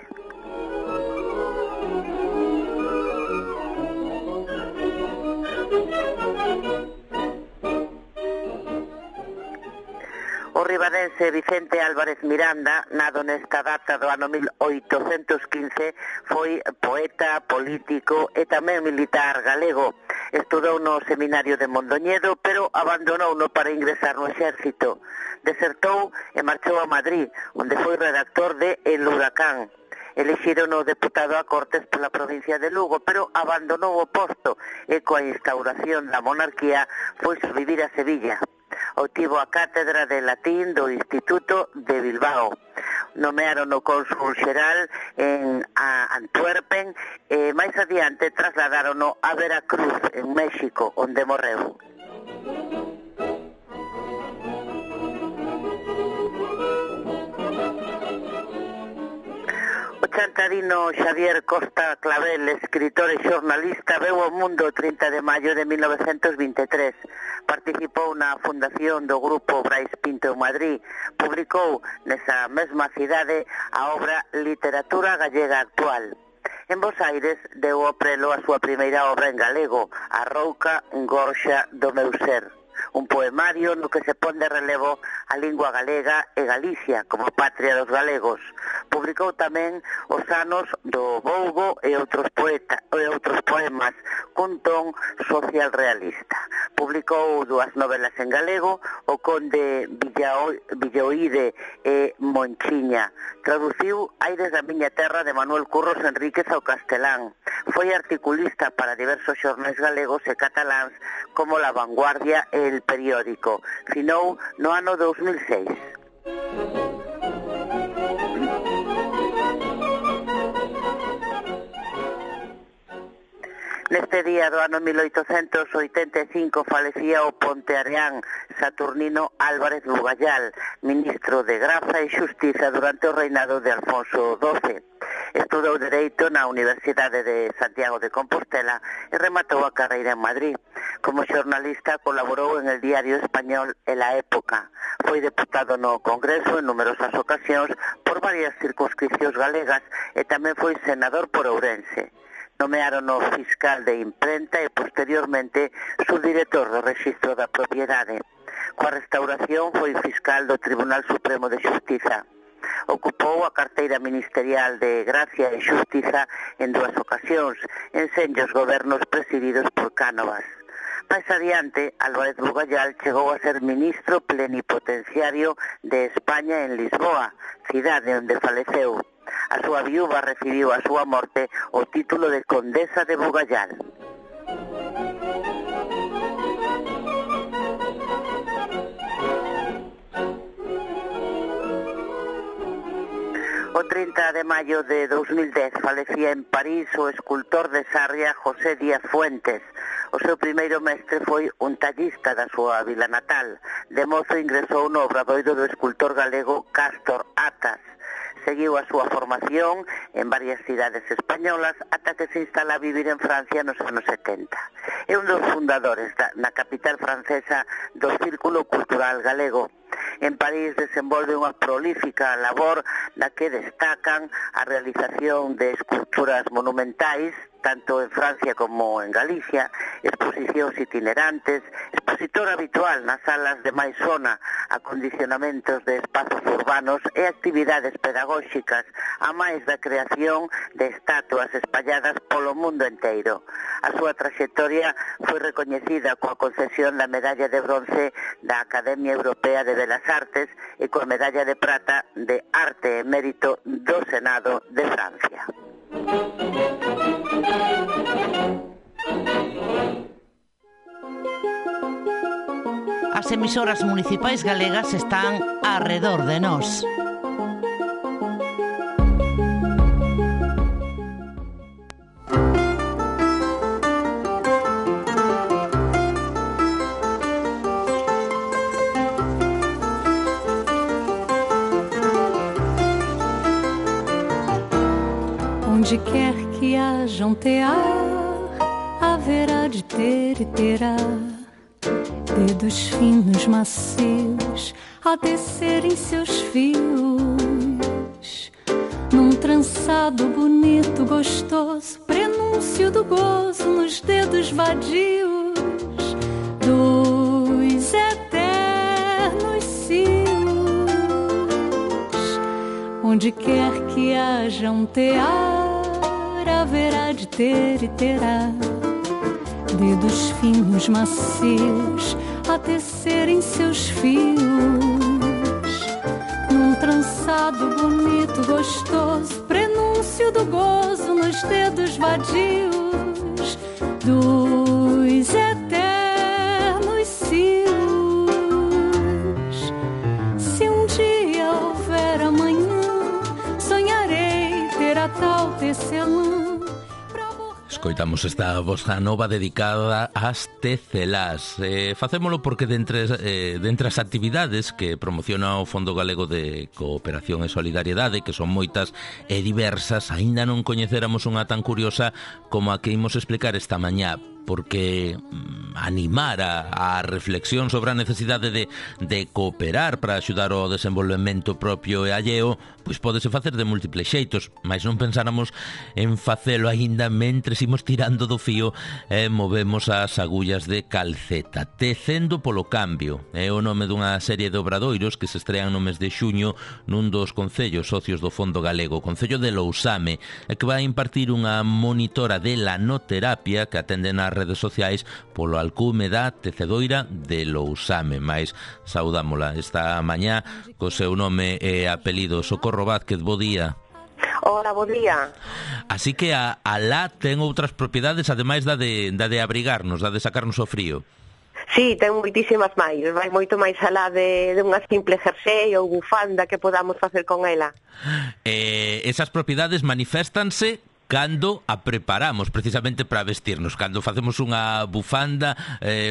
O ribadense Vicente Álvarez Miranda, nado nesta data do ano 1815, foi poeta, político e tamén militar galego. Estudou no seminario de Mondoñedo, pero abandonouno para ingresar no exército. Desertou e marchou a Madrid, onde foi redactor de El Huracán. Elixiron o deputado a Cortes pola provincia de Lugo, pero abandonou o posto e coa instauración da monarquía foi a vivir a Sevilla. Obtivo a cátedra de latín do Instituto de Bilbao. Nomearon o cónsul xeral en Antwerpen e máis adiante trasladarono a Veracruz, en México, onde morreu. O chantarino Xavier Costa Clavel, escritor e xornalista, veu ao mundo o 30 de maio de 1923. Participou na fundación do grupo Brais Pinto en Madrid. Publicou nesa mesma cidade a obra Literatura Gallega Actual. En Bos Aires deu ao prelo a súa primeira obra en galego, A Rouca Gorxa do meu ser. Un poemario no que se pon de relevo a lingua galega e Galicia como patria dos galegos. Publicou tamén Os anos do Bougo e outros poemas cun ton social realista. Publicou 2 novelas en galego, O conde Villoide e Monchiña. Traduciu Aires da miña terra de Manuel Curros Enríquez ao castelán. Foi articulista para diversos xornais galegos e cataláns como La Vanguardia e El Periódico. Finou no ano 2006. Neste día do ano 1885 falecía o ponteareán Saturnino Álvarez Bugallal, ministro de Graza e Xustiza durante o reinado de Alfonso XII. Estudou Dereito na Universidade de Santiago de Compostela e rematou a carreira en Madrid. Como xornalista colaborou en el diario español El La Época. Foi deputado no Congreso en numerosas ocasións por varias circunscripcións galegas e tamén foi senador por Ourense. Nomearon o fiscal de imprenta e posteriormente subdirector do Rexistro da Propiedade. Coa restauración foi fiscal do Tribunal Supremo de Xustiza. Ocupou a carteira ministerial de Gracia e Xustiza en 2 ocasións, en senllos gobernos presididos por Cánovas. Máis adiante, Álvarez Bugallal chegou a ser ministro plenipotenciario de España en Lisboa, cidade onde faleceu. A súa viúva recibiu a súa morte o título de Condesa de Bugallal. O 30 de maio de 2010 falecía en París o escultor de Sarria José Díaz Fuentes. O seu primeiro mestre foi un tallista da súa vila natal. De mozo ingresou no obradoiro do escultor galego Cástor Atas. Seguiu a súa formación en varias cidades españolas ata que se instala a vivir en Francia nos anos 70. É un dos fundadores na capital francesa do Círculo Cultural Galego. En París desenvolve unha prolífica labor na que destacan a realización de esculturas monumentais, tanto en Francia como en Galicia, exposicións itinerantes, expositor habitual nas salas de máis zona, acondicionamentos de espazos urbanos e actividades pedagóxicas, a máis da creación de estatuas espalladas polo mundo enteiro. A súa traxectoria foi recoñecida coa concesión da medalla de bronce da Academia Europea de Belas Artes e coa medalla de prata de Arte e Mérito do Senado de Francia. As emisoras municipais galegas están arredor de nós. hajam tear, haverá de ter e terá dedos finos, macios, a descerem seus fios, num trançado bonito, gostoso, prenúncio do gozo nos dedos vadios dos eternos cios. Onde quer que haja um tear, haverá de ter e terá dedos finos, macios, a tecerem seus fios, num trançado bonito, gostoso, prenúncio do gozo nos dedos vadios dos eternos cios. Se um dia houver amanhã, sonharei ter a tal tecelã. Escoitamos esta bossa nova dedicada ás tecelás. Facémolo porque dentre as actividades que promociona o Fondo Galego de Cooperación e Solidariedade, que son moitas e diversas, aínda non coñeceramos unha tan curiosa como a que imos explicar esta mañá, porque animar a reflexión sobre a necesidade de cooperar para axudar ao desenvolvemento propio e alleo, pois pódese facer de múltiples xeitos, mas non pensáramos en facelo aínda mentres imos tirando do fío e movemos as agullas de calceta. Tecendo polo cambio é o nome dunha serie de obradoiros que se estrean no mes de xuño nun dos concellos socios do Fondo Galego, o Concello de Lousame, e que vai impartir unha monitora de lanoterapia que atende nas redes sociais polo alcume da tecedoira de Lousame. Mais saudámola esta mañá co seu nome e apelido. Socorro Vázquez, bo día. Hola, bo día. Así que a la ten outras propiedades ademais da de abrigarnos, da de sacarnos o frío. Sí, ten moitísimas máis, vai moito máis alá de unha simple jersey ou bufanda que podamos facer con ela. Esas propiedades maniféstanse cando a preparamos precisamente para vestirnos, cando facemos unha bufanda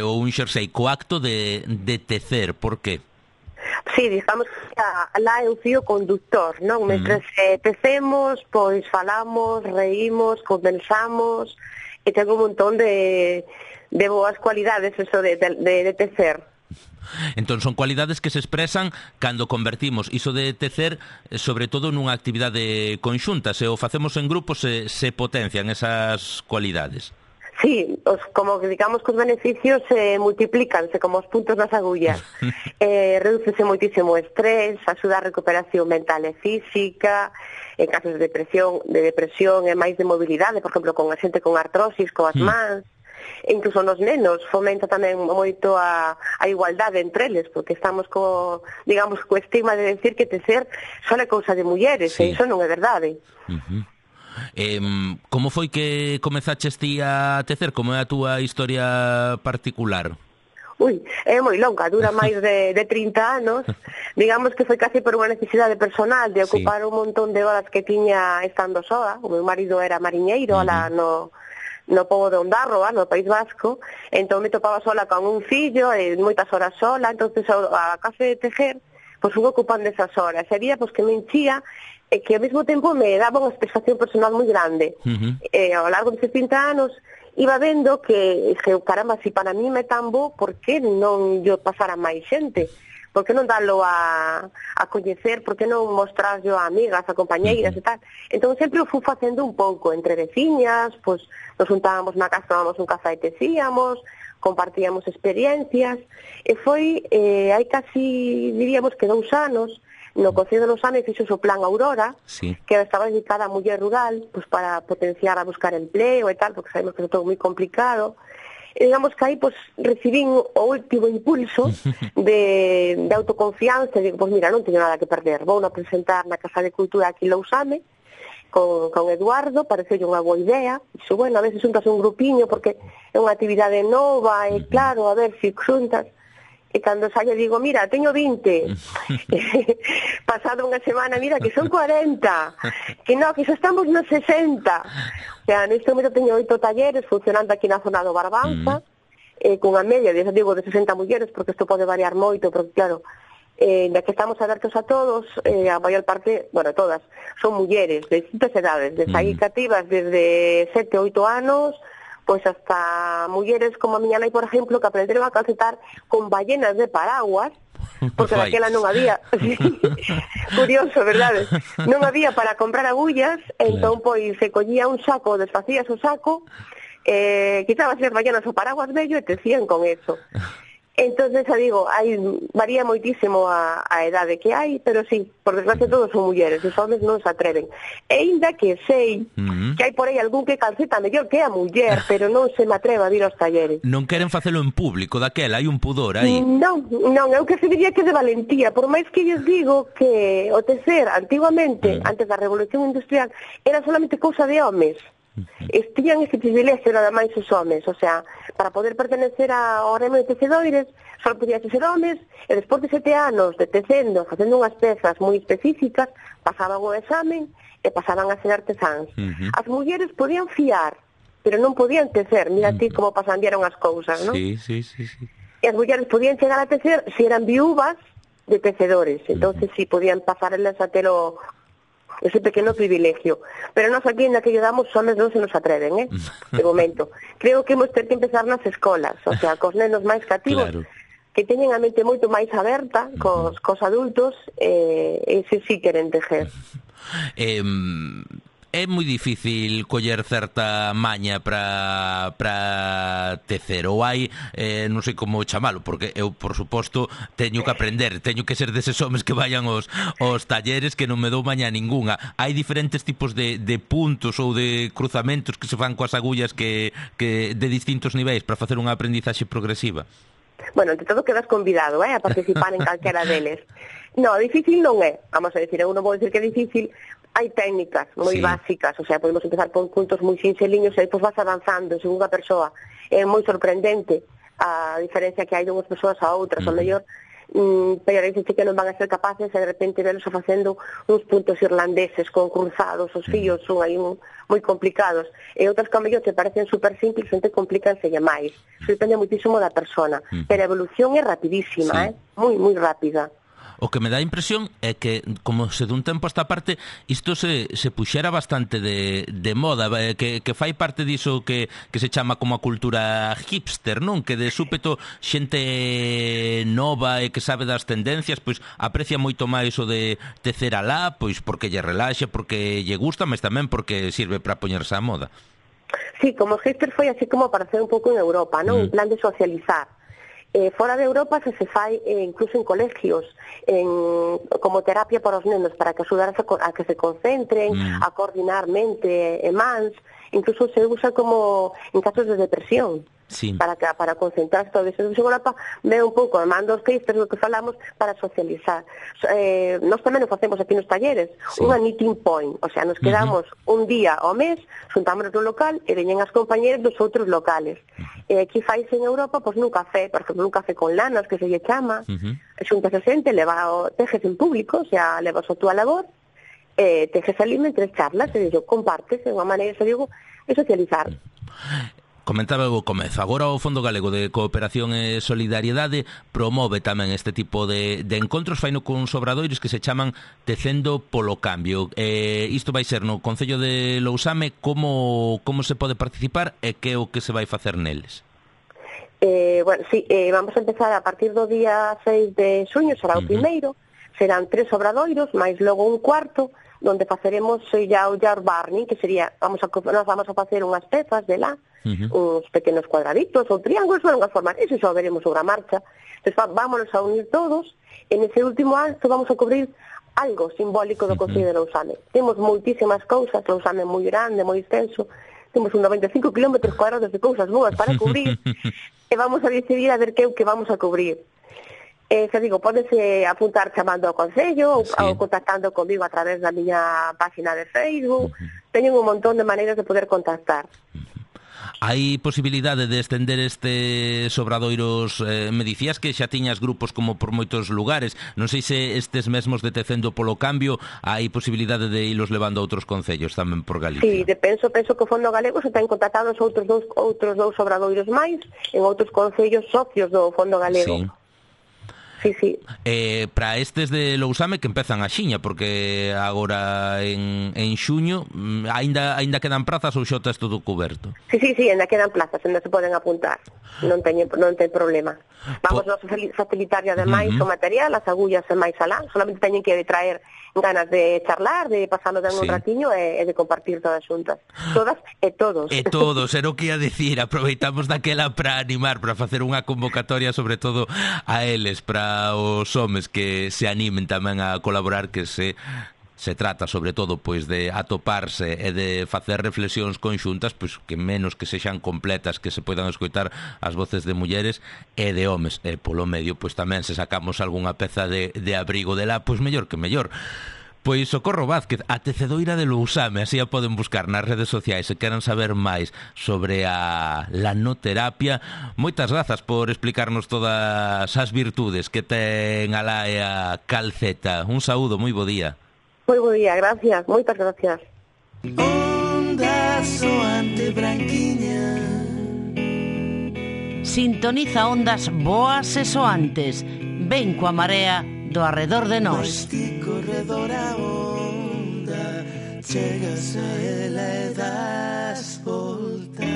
ou un xersei co acto de tecer. Por qué? Sí, digamos que lá é o fío conductor, non? Mentre tecemos, pois falamos, reímos, conversamos, e ten un montón de boas cualidades eso de tecer. Entón son cualidades que se expresan cando convertimos iso de tecer sobre todo nunha actividade conxunta. Se o facemos en grupo se potencian esas cualidades. Sí, como digamos que os beneficios se multiplícanse como os puntos nas agullas. Redúcese moitísimo o estrés, axuda a recuperación mental e física, en casos de depresión e máis de mobilidade, por exemplo, con a xente con artrosis, coas mans. E incluso nos nenos fomenta tamén moito a igualdade entre eles, porque estamos co estigma de decir que tecer só é cousa de mulleres, sí. E iso non é verdade. Como foi que comezaches ti a tecer? Como é a túa historia particular? Ui, é moi longa, dura máis de 30 anos. Digamos que foi casi por unha necesidade personal de ocupar un montón de horas que tiña estando soa. O meu marido era mariñeiro, alá no pobo de Ondarroa, no País Vasco, entón me topaba sola con un fillo e moitas horas sola, entonces a case de tejer, pois fui ocupando esas horas. E había pois que me enchía e que ao mesmo tempo me daba unha satisfacción personal moi grande. Ao largo destes 30 anos iba vendo que, caramba, se para mí me tan bo, por que non yo pasar a máis xente? Por que non dalo a coñecer? Por que non mostrarlo a amigas, a compañeiras e tal? Entón sempre o fui facendo un pouco entre veciñas, pois nos juntábamos na casa, tomábamos un café e tecíamos, compartíamos experiencias, e foi hai casi, diríamos que 2 anos, no Concello de Lousame fixo o Plan Aurora, que estaba dedicada a muller rural, pois para potenciar a buscar empleo e tal, porque sabemos que é todo moi complicado. E digamos que aí pois recibín o último impulso de autoconfianza, e digo, pois mira, non teño nada que perder, vou a presentar na Casa de Cultura aquí en Lousame con Eduardo, pareceu unha boa idea. Dixo, bueno, a veces xuntas un grupiño porque é unha actividade nova e claro, a ver se xuntas. E cando saio digo, mira, teño 20. Pasado unha semana, mira, que son 40. Que non, que xa estamos nos 60. O sea, neste momento teño 8 talleres funcionando aquí na zona do Barbanza, cunha media, de 60 mulleres, porque isto pode variar moito, porque claro, da que estamos abertos a todos, a maior parte, bueno, todas, son mulleres de distintas edades, desde aí cativas desde 7, 8 anos, pois hasta mulleres como a miña nai, por exemplo, que aprenderon a calcetar con ballenas de paraguas, porque daquela non había, curioso, verdade? Non había para comprar agullas, entón pois se collía un saco, desfacías o saco, quitabas as ballenas o paraguas vello e tecían con eso. Entonces, digo, varía moitísimo a edade que hai, pero sí, por desgracia todos son mulleres, os homes non se atreven. E ainda que sei que hai por aí algún que calceta mellor que a muller, pero non se me atreva a vir aos talleres. Non queren facelo en público, daquela, hai un pudor aí. Non, eu que se diría que de valentía, por máis que lles digo que o tecer antiguamente, antes da Revolución Industrial, era solamente cousa de homes. Tiñan ese privilegio nada máis os homes, o sea, para poder pertenecer ao gremio de tecedoires só podían ser homes, e despois de 7 anos de tecendo, facendo unhas pezas moi específicas, pasaban o examen e pasaban a ser artesáns. As mulleres podían fiar, pero non podían tecer, mira ti como pasandearon as cousas, non? Sí. E as mulleres podían chegar a tecer se eran viúvas de tecedores, entonces sí podían pasar elas a ter ese pequeno privilegio. Pero nós aquí na que damos, os homes non se nos atreven, de momento. Creo que hemos ter que empezar nas escolas, o sea, cos nenos máis cativos, que teñen a mente moito máis aberta cos adultos, e se sí queren tejer. É moi difícil coller certa maña para tecer, ou hai, non sei como chamalo, porque eu, por suposto, teño que aprender, teño que ser deses homes que vayan aos talleres, que non me dou maña ninguna. Hai diferentes tipos de puntos ou de cruzamentos que se fan coas agullas que de distintos niveis para facer unha aprendizaxe progresiva. Bueno, ante todo quedas convidado a participar en calquera deles. No, difícil non é, vamos a decir, eu non vou dicir que é difícil. Hai técnicas moi básicas, o sea, podemos empezar por puntos moi sinxeliños e depois vas avanzando según a persoa. É moi sorprendente a diferencia que hai de unhas persoas a outras, o mellor pero dices que non van a ser capaces e de repente velos facendo uns puntos irlandeses con cruzados, os fillos son aí moi complicados, e outras que ao mellor te parecen super simples, xente complícanse máis. Depende muitísimo da persona, pero a evolución é rapidísima, moi rápida. O que me dá a impresión é que, como se dun tempo a esta parte, isto se puxera bastante de moda, que fai parte diso que se chama como a cultura hipster, non? Que de súpeto xente nova e que sabe das tendencias, pois aprecia moito máis o de tecer alá, pois porque lle relaxa, porque lle gusta, mas tamén porque sirve para poñerse a moda. Sí, como hipster foi así como para hacer un pouco en Europa, non? En plan de socializar. Fora de Europa se fai incluso en colegios como terapia para os nenos, para que axudar a que se concentren, a coordinar mente e mans, incluso se usa como en casos de depresión. Para concentrarse todo eso. En Europa ve un pouco, mando os textos do que falamos para socializar. Nós tamén o facemos aquí nos talleres, unha meeting point, o sea, nos quedamos un día ao mes, xuntámonos no local e veñen as compañeras dos outros locales. E aquí faise en Europa, pois nun café, por exemplo, un café con lanas, que se lle chama, xuntas a xente, tejes en público, o sea, levas a túa labor, tejes ali mentre charlas, e compartes, de unha maneira, se digo, é socializar. Comentaba o comezo, agora o Fondo Galego de Cooperación e Solidariedade promove tamén este tipo de encontros, faino con obradoiros que se chaman Tecendo polo Cambio. Isto vai ser no Concello de Lousame, como se pode participar e que é o que se vai facer neles? Bueno, sí, vamos a empezar a partir do día 6 de xuño, será o primeiro, serán 3 obradoiros, máis logo un cuarto, donde faceremos ya o jar barning, que sería, nos vamos a facer unhas pezas de lá, uns pequenos cuadraditos ou triángulos, ou unhas formas, eso xa veremos sobre a marcha. Entón, vámonos a unir todos, e nese último acto vamos a cubrir algo simbólico do Concello de Lousame. Temos moitísimas cousas, Lousame é moi grande, moi extenso, temos uns 95 km cuadrados de cousas boas para cubrir, e vamos a decidir a ver que é o que vamos a cubrir. Xa digo, pódese apuntar chamando ao Concello ou contactando comigo a través da miña página de Facebook. Teñen un montón de maneiras de poder contactar. Hai posibilidade de estender estes obradoiros? Me dicías que xa tiñas grupos como por moitos lugares. Non sei se estes mesmos de Tecendo polo Cambio hai posibilidade de ilos levando a outros concellos tamén por Galicia. Sí, penso que o Fondo Galego se ten contactado os outros dous obradoiros máis en outros concellos socios do Fondo Galego. Sí. Sí, sí. Para estes de Lousame que empezan a xiña, porque agora en xuño aínda quedan prazas ou xa está todo coberto? Sí, ainda quedan plazas, ainda se poden apuntar. Non ten problema. Vamos a facilitar ademais o material, as agullas e máis alá, solamente teñen que traer ganas de charlar, de pasarlo un ratiño e de compartir todas xuntas. Todas e todos. E todos, era o que ia dicir, aproveitamos daquela para animar, para facer unha convocatoria sobre todo a eles, para os homes que se animen tamén a colaborar, que se trata sobre todo pois de atoparse e de facer reflexións conxuntas, pois que menos que sexan completas, que se poidan escoitar as voces de mulleres e de homes, e polo medio pois tamén se sacamos algunha peza de abrigo de lá, pois mellor que mellor. Pois Socorro Vázquez, a tecedoira de Lousame, así a poden buscar nas redes sociais se queran saber máis sobre a lanoterapia. Moitas grazas por explicarnos todas as virtudes que ten alá e a calceta. Un saúdo, moi bo día. Moi bo día, gracias, moitas gracias. Onda soante branquiña. Sintoniza ondas boas e soantes. Ven coa marea do arredor de nós. Corredor a onda, chegas a ela e das volta.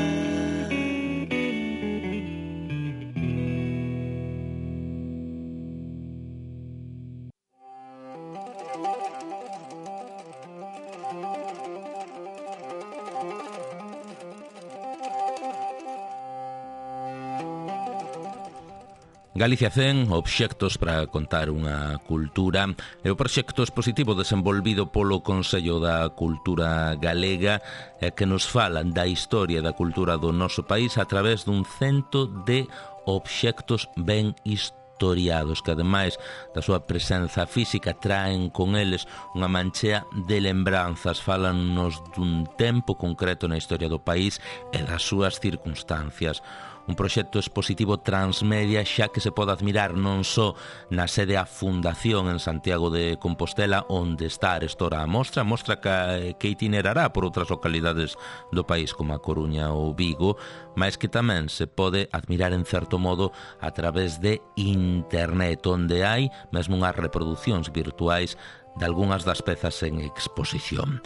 Galicia 100, obxectos para contar unha cultura, é o proxecto expositivo desenvolvido polo Consello da Cultura Galega e que nos falan da historia da cultura do noso país a través dun cento de obxectos ben historiados que ademais da súa presenza física traen con eles unha manchea de lembranzas, falanos dun tempo concreto na historia do país e das súas circunstancias. Un proxecto expositivo transmedia xa que se pode admirar non só na sede a Fundación en Santiago de Compostela, onde está arestora a mostra que itinerará por outras localidades do país como a Coruña ou Vigo, mas que tamén se pode admirar en certo modo a través de internet, onde hai mesmo unhas reproduccións virtuais de algunhas das pezas en exposición.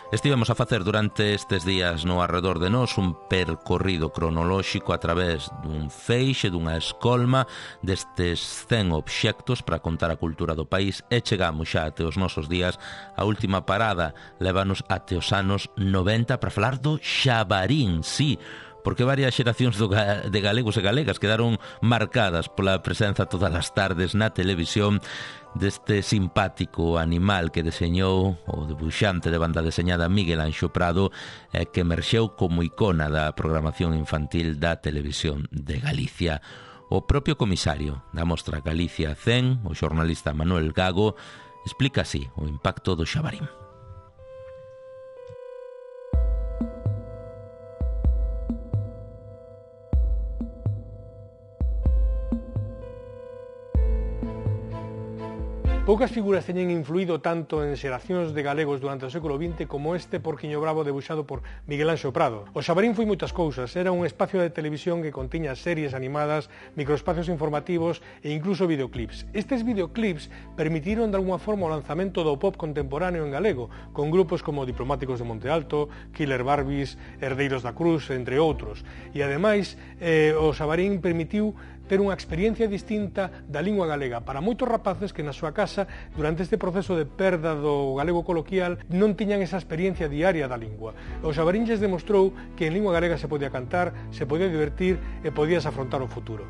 Estivemos a facer durante estes días no arredor de nós un percorrido cronolóxico a través dun feixe, dunha escolma destes 100 obxectos para contar a cultura do país e chegamos xa até os nosos días. A última parada lévanos até os anos 90 para falar do xabarín, sí, porque varias xeracións de galegos e galegas quedaron marcadas pola presenza todas as tardes na televisión deste simpático animal que deseñou o debuxante de banda deseñada Miguel Anxo Prado e que emerxeu como icona da programación infantil da televisión de Galicia. O propio comisario da mostra Galicia 100, o xornalista Manuel Gago, explica así o impacto do xabarín. Poucas figuras teñen influído tanto en xeracións de galegos durante o século XX como este porquiño bravo debuxado por Miguel Anxo Prado. O xabarín foi moitas cousas, era un espacio de televisión que contiña series animadas, microespacios informativos e incluso videoclips. Estes videoclips permitiron de alguma forma o lanzamento do pop contemporáneo en galego, con grupos como Diplomáticos de Monte Alto, Killer Barbies, Herdeiros da Cruz, entre outros. E ademais, o xabarín permitiu ter unha experiencia distinta da lingua galega para moitos rapaces que na súa casa, durante este proceso de perda do galego coloquial, non tiñan esa experiencia diaria da lingua. O xabarín lles demostrou que en lingua galega se podía cantar, se podía divertir e podías afrontar o futuro.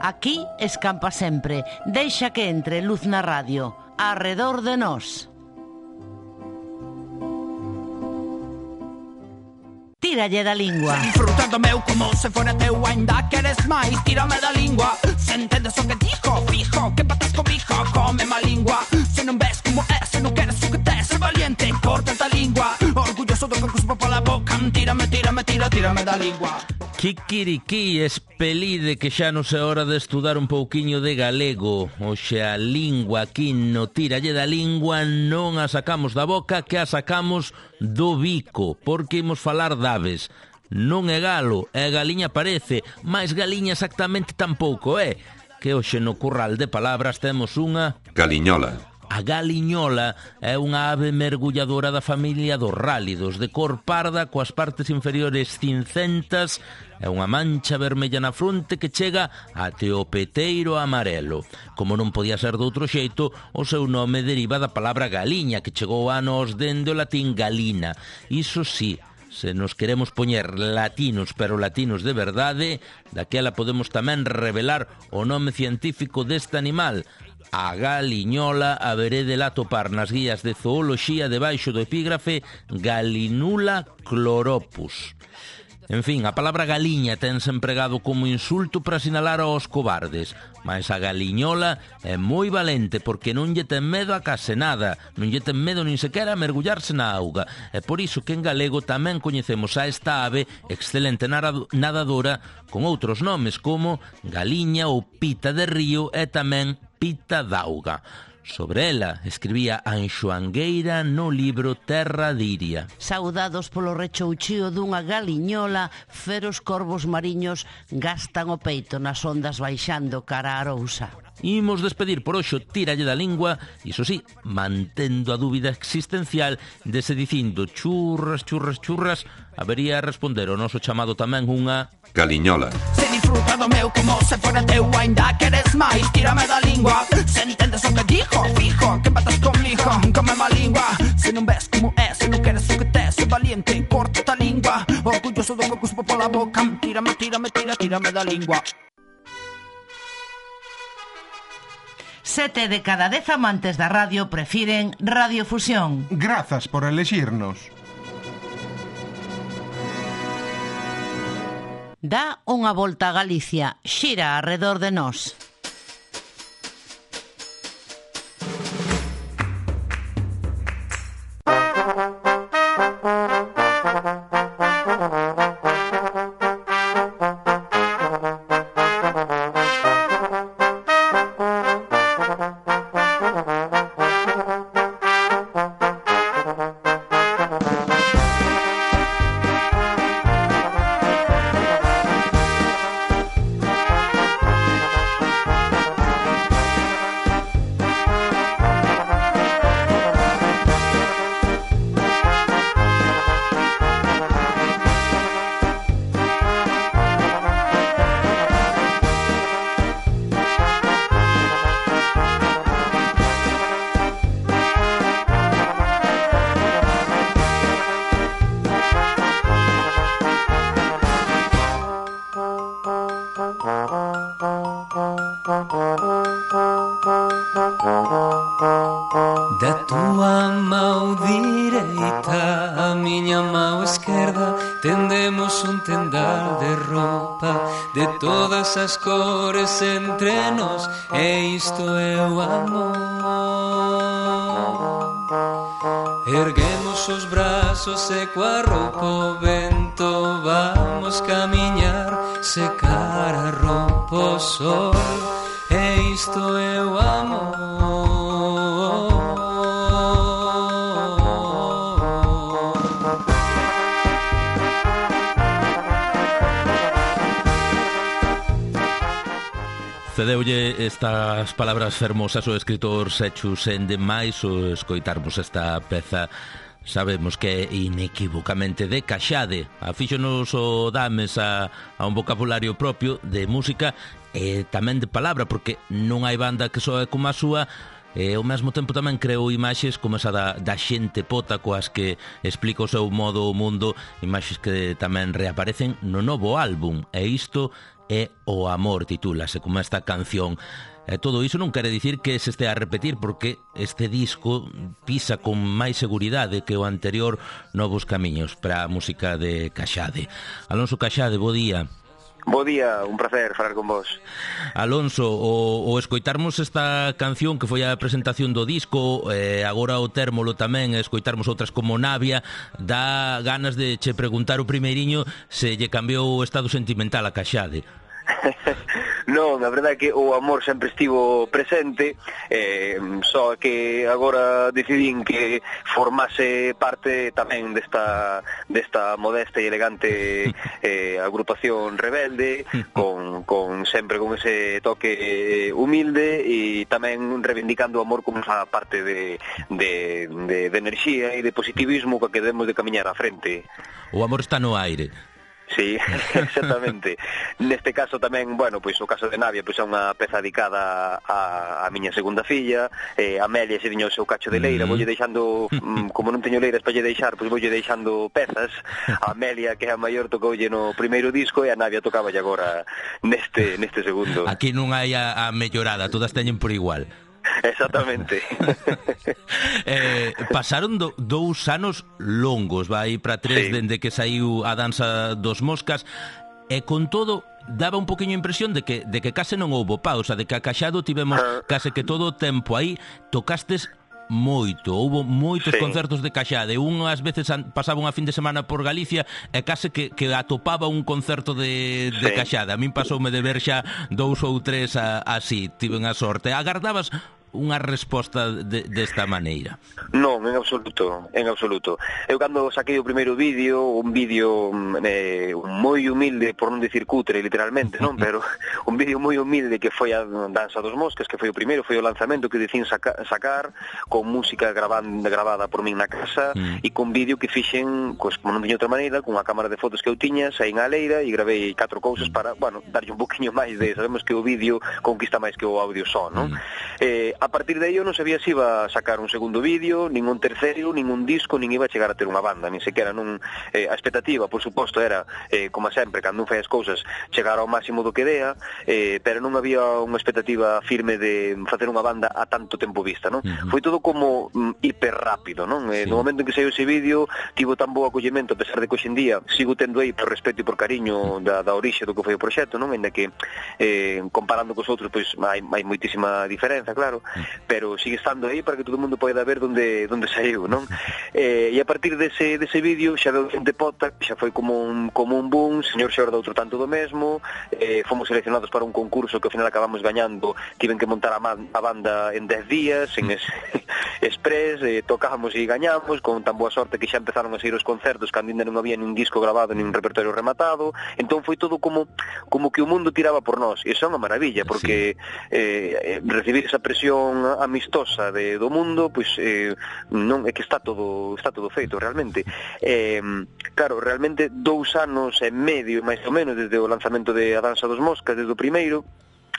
Aquí escampa sempre, deixa que entre luz na radio, arredor de nós. Tíralle da lingua. Disfrutando meu como se fora teu, ainda queres máis, tírame da lingua. Se entendes o que dijo, fijo, que patas comigo, come má lingua. Se non ves como é, se non queres o que tes, ser valiente, corta esta lingua. Orgulloso do que cuspo pola boca, tírame da lingua. Kikiriki, espelide que xa non é hora de estudar un pouquiño de galego. Oxe, a lingua aquí no Tiralle da Lingua non a sacamos da boca, que a sacamos do bico, porque imos falar d'aves. Non é galo, é galiña parece, mais galiña exactamente tampouco é. Que hoxe no curral de palabras temos unha... Galiñola. A galiñola é unha ave mergulladora da familia dos rálidos, de cor parda, coas partes inferiores cincentas, e unha mancha vermella na fronte que chega até o peteiro amarelo. Como non podía ser de outro xeito, o seu nome deriva da palabra galiña, que chegou a nos dende o latín galina. Iso sí, se nos queremos poñer latinos, pero latinos de verdade, daquela podemos tamén revelar o nome científico deste animal. A galiñola haberédela atopar nas guías de zooloxía debaixo do epígrafe Galinula chloropus. En fin, a palabra galiña tense empregado como insulto para sinalar aos cobardes, mas a galiñola é moi valente porque non lle ten medo a case nada, non lle ten medo nin sequera a mergullarse na auga. É por iso que en galego tamén coñecemos a esta ave excelente nadadora con outros nomes como galiña ou pita de río e tamén pita d'auga. Sobre ela escribía Anxo Angueira no libro Terra Diria. Saudados polo rechouchío dunha galiñola, feros corvos mariños gastan o peito nas ondas baixando cara a Arousa. Imos despedir por hoxe o Tiralle da Lingua, iso sí, mantendo a dúbida existencial de se dicindo churras, churras, churras, habería responder o noso chamado tamén unha... Galiñola. Se disfruta do meu como se fora teu, ainda queres máis, tírame da lingua. Se entendes o que dijo, fijo, que empatas comigo, come má lingua. Se non ves como é, se non queres o que tes, se valiente, corta a lingua. Orgulloso do que cuspo pola boca, tírame, tírame, tírame da lingua. 7 de cada 10 amantes da radio prefiren Radiofusión. Grazas por elexirnos. Dá unha volta a Galicia, xira arredor de nós. Da tua mão direita a miña mão esquerda tendemos un tendal de roupa de todas as cores entre nós, e isto é o amor. Erguemos os brazos e coa roupa o vento vamos camiñar, secar a roupa o sol, e isto é o amor. Cedeulle estas palabras fermosas o escritor Sechu Sende máis o escoitarmos esta peza. Sabemos que é inequívocamente de Caxade. Afíxonos o dames a un vocabulario propio de música e tamén de palabra, porque non hai banda que soe como a súa, e ao mesmo tempo tamén creou imaxes como esa da xente pota coas que explica o seu modo o mundo, imaxes que tamén reaparecen no novo álbum, e isto é o amor, titúlase como esta canción. E todo iso non quere dicir que se estea a repetir, porque este disco pisa con máis seguridade que o anterior novos camiños para a música de Caxade. Alonso Caxade, bo día. Bo día, un placer falar con vos. Alonso, o escoitarmos esta canción que foi a presentación do disco, agora o térmolo tamén, escoitarmos outras como Navia, dá ganas de che preguntar o primeiriño se lle cambiou o estado sentimental a Caxade. Non, a verdade é que o amor sempre estivo presente, só que agora decidín que formase parte tamén desta modesta e elegante agrupación rebelde, con sempre con ese toque humilde e tamén reivindicando o amor como esa parte de enerxía e de positivismo coa que debemos de camiñar á frente. O amor está no aire. Sí, exactamente. Neste caso tamén, bueno, pois o caso de Navia pois é unha peza dedicada a miña segunda filla, Amelia se viño o seu cacho de leira, voulle deixando, como non teño leiras para lle deixar, pois voulle deixando pezas. A Amelia, que é a maior, tocoulle no primeiro disco e a Navia tocaba agora neste segundo. Aquí non hai a mellorada, todas teñen por igual. Exactamente. Pasaron 2 anos longos, vai para 3 dende que saiu a Danza dos Moscas, e con todo daba un poquinho a impresión de que case non houbo pausa, de que a Caxado tivemos case que todo o tempo aí. Tocastes moito, houbo moitos concertos de Caxade. Unhas veces pasaba unha fin de semana por Galicia e case que atopaba un concerto de Caxade. A min pasoume de ver xa 2 ou 3 así, tiven a sorte. Agardabas unha resposta desta maneira? Non, en absoluto. Eu cando saquei o primeiro vídeo, un vídeo moi humilde, por non dicir cutre literalmente, non, pero un vídeo moi humilde que foi a Danza dos Moscas, que foi o primeiro, foi o lanzamento que dicín sacar, con música gravada por min na casa, e con vídeo que fixen, pues, como non tiña outra maneira, con a cámara de fotos que eu tiña, saín á leira e gravei 4 cousas para, bueno, darlle un poquinho máis de, sabemos que o vídeo conquista máis que o audio só, non? A partir de aí eu non sabía se iba a sacar un segundo vídeo, nin un terceiro, nin un disco, nin iba a chegar a ter unha banda, nin sequera non. A expectativa, por suposto, era, como sempre, cando un fai as cousas, chegar ao máximo do que dea, pero non había unha expectativa firme de facer unha banda a tanto tempo vista, non? Foi todo como hiper rápido, non? No momento en que saiu ese vídeo, tivo tan bo acollemento, a pesar de que hoxe en día sigo tendo aí por respeto e por cariño da orixe do que foi o proxecto, non? Ainda que comparando cos outros, pois hai moitísima diferenza, claro, pero sigue estando aí para que todo o mundo poida ver onde saiu, non? E a partir dese vídeo xa veu xente pota, xa foi como un boom, señor Xorda outro tanto do mesmo, fomos seleccionados para un concurso que ao final acabamos gañando, tiven que montar a banda en 10 días, en express, tocábamos e gañamos, con tan boa sorte que xa empezaron a sair os concertos, cando ainda non había nin disco grabado, nin repertorio rematado, entón foi todo como que o mundo tiraba por nós, e iso é unha maravilla, porque recibir esa presión amistosa do mundo, pois non é que está todo feito realmente. Claro, realmente 2 anos e medio máis ou menos desde o lanzamento de A Danza dos Moscas, desde o primeiro.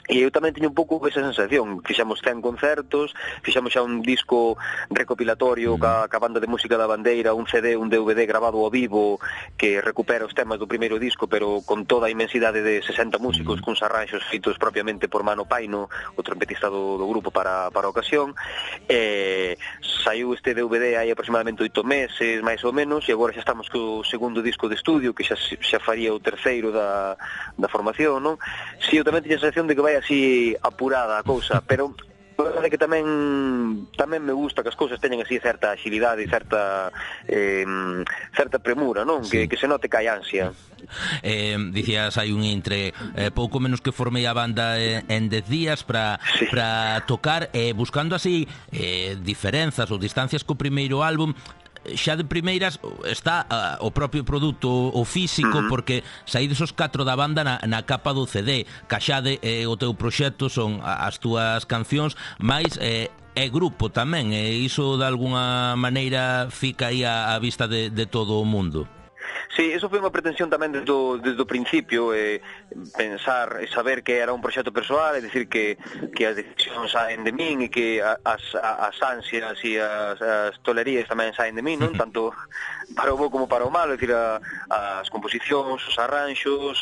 E eu tamén teño un pouco esa sensación. Fixamos 100 concertos, fixamos xa un disco recopilatorio ca banda de música da Bandeira, un CD, un DVD grabado ao vivo que recupera os temas do primeiro disco, pero con toda a inmensidade de 60 músicos, cuns arranxos feitos propiamente por Mano Paino, o trompetista do grupo para a ocasión. Saiu este DVD hai aproximadamente 8 meses, máis ou menos, e agora xa estamos co segundo disco de estudio, que xa faría o terceiro da formación, non? Si, eu tamén teño a sensación de que vai así apurada a cousa, pero a verdade é que tamén me gusta que as cousas teñan así certa agilidade e certa premura, non? Que se note que hai ansia. Dicías, hai un intre, pouco menos que formei a banda en 10 días para tocar, buscando así diferenzas ou distancias co primeiro álbum. Xa de primeiras está o propio produto, o físico, porque saídes os 4 da banda na capa do CD. Caxade o teu proxecto, son as túas cancións, máis é grupo tamén, e iso de alguna maneira fica aí a vista de todo o mundo. Sí, eso foi unha pretensión tamén desde o principio, pensar e saber que era un proxecto persoal, é dicir que as decisións saen de min e que as ansias e as tolerías tamén saen de min, non? Tanto para o bo como para o malo, é dicir, as composicións, os arranxos,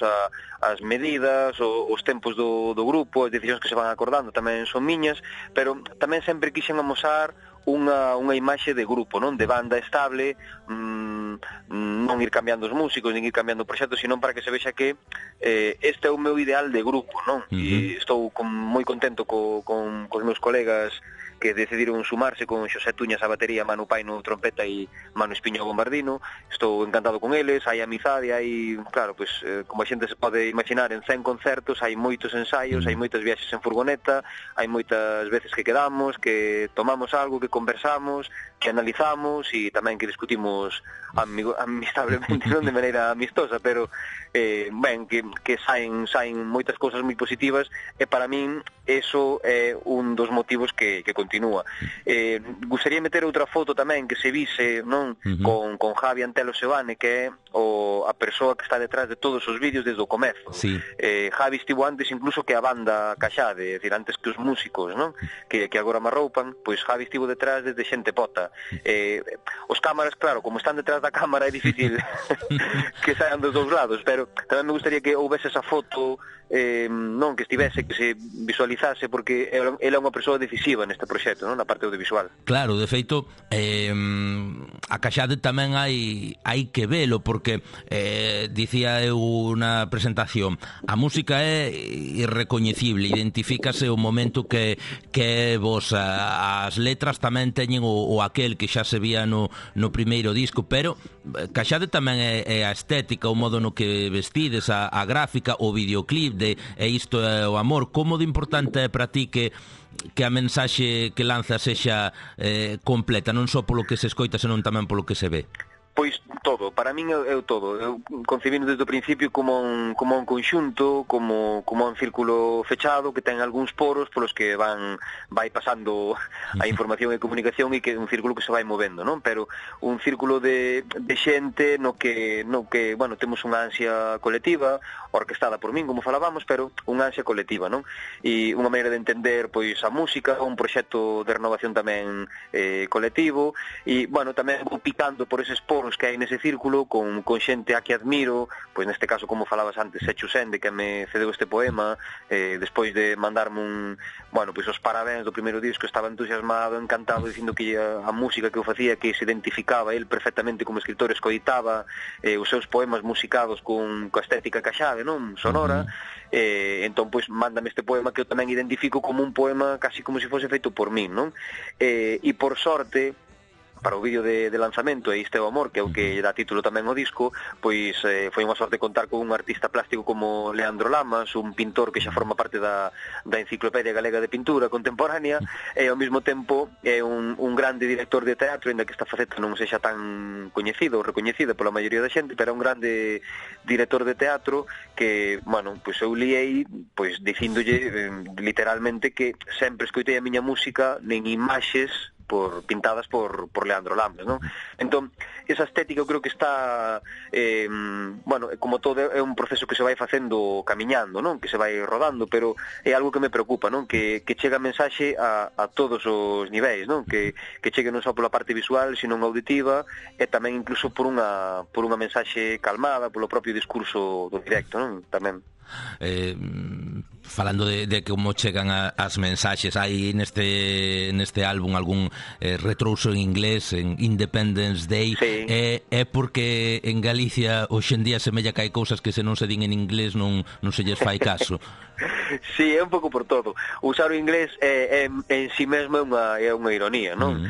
as medidas, os tempos do grupo, as decisións que se van acordando tamén son miñas, pero tamén sempre quixen amosar unha imaxe de grupo, non? De banda estable, non ir cambiando os músicos, nin ir cambiando o proxecto, sino para que se vexa que este é o meu ideal de grupo, non? E estou moi contento cos meus colegas que decidiron sumarse, con Xosé Tuñas a batería, Manu Paino trompeta e Manu Espiño bombardino. Estou encantado con eles, hai amizade, hai, claro, pois, como a xente se pode imaginar, en 100 concertos, hai moitos ensaios, hai moitas viaxes en furgoneta, hai moitas veces que quedamos, que tomamos algo, que conversamos, que analizamos e tamén que discutimos amistablemente, non de maneira amistosa, pero ben, que saen moitas cousas moi positivas, e para min eso é un dos motivos que continúa. Gustaría meter outra foto tamén que se vise, non? Con Javi Antelo Sebane, que é a persoa que está detrás de todos os vídeos desde o comezo. Javi estivo antes incluso que a banda Caxade, é dicir, antes que os músicos, non? Que agora me arroupan, pois Javi estivo detrás desde xente pota. Os cámaras, claro, como están detrás da cámara é difícil que saian dos dous lados, pero tamén me gustaría que houvese esa foto, non, que estivese, que se visualizase, porque ela é unha persoa decisiva neste proxecto, non, na parte audiovisual. Claro, de feito, a Caxade tamén hai que velo, porque dicía eu na presentación, a música é irrecoñecible, identifícase o momento que vos, as letras tamén teñen o aquel que xa se vía no primeiro disco, pero Caxade tamén é a estética, o modo no que vestides, a gráfica, o videoclip de E isto é o amor. Como de importante é para ti que a mensaxe que lanza sexa completa, non só polo que se escoita, senón tamén polo que se ve? Pois todo, para min é o todo. Eu concibino desde o principio como un conxunto, como un círculo fechado que ten algúns poros polos que vai pasando a información e comunicación, e que é un círculo que se vai movendo, non? Pero un círculo de xente no que, bueno, temos unha ansia colectiva, orquestada por min, como falábamos, pero unha ansia colectiva, non? E unha maneira de entender, pois, a música, un proxecto de renovación tamén colectivo, e, bueno, tamén vou picando por eses poros que hai nese círculo con xente a que admiro, pois neste caso, como falabas antes, Sechu Sende, que me cedeu este poema, despois de mandarme os parabéns do primeiro disco, estaba entusiasmado, encantado, dicindo que a música que eu facía, que se identificaba el perfectamente como escritor, escoitaba os seus poemas musicados con a estética Caxade, non? Sonora. Entón, pois, mándame este poema que eu tamén identifico como un poema casi como se fose feito por min, non? E por sorte, para o vídeo de lanzamento, E isto é o amor, que é o que dá título tamén ao disco, pois foi unha sorte contar con un artista plástico como Leandro Lamas, un pintor que xa forma parte da Enciclopedia Galega de Pintura Contemporánea, e ao mesmo tempo é un grande director de teatro, ainda que esta faceta non sexa tan coñecido ou recoñecida pola maioría da xente, pero é un grande director de teatro que, bueno, pois eu liei, pois, dicíndolle literalmente que sempre escoitei a miña música nen imaxes pintadas por Leandro Lamas, non? Entón, esa estética eu creo que está, como todo, é un proceso que se vai facendo camiñando, non? Que se vai rodando, pero é algo que me preocupa, non? Que chegue a mensaxe a todos os niveis, non? Que chegue non só pola parte visual, sino auditiva, e tamén incluso por unha mensaxe calmada, polo propio discurso do directo, non? Tamén. Falando de como chegan as mensaxes, hai neste álbum algún retrouso en inglés, en Independence Day, é porque en Galicia hoxe en día semella que hai cousas que se non se din en inglés non se lles fai caso. Sí, é un pouco por todo. Usar o inglés en si mesmo é unha ironía, non?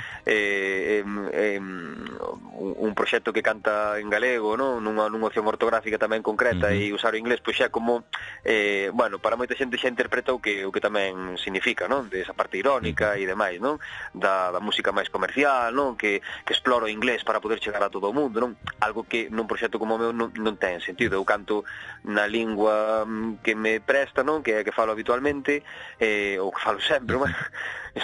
Un proxecto que canta en galego, non? Nunha opción ortográfica tamén concreta, e usar o inglés pois xa como para moita xente xa interpreta o que tamén significa, non? De esa parte irónica e demais, non? Da música máis comercial, non? Que explora o inglés para poder chegar a todo o mundo, non? Algo que nun proxecto como o meu non ten sentido. Eu canto na lingua que me presta, non? Que falo habitualmente, ou que falo sempre,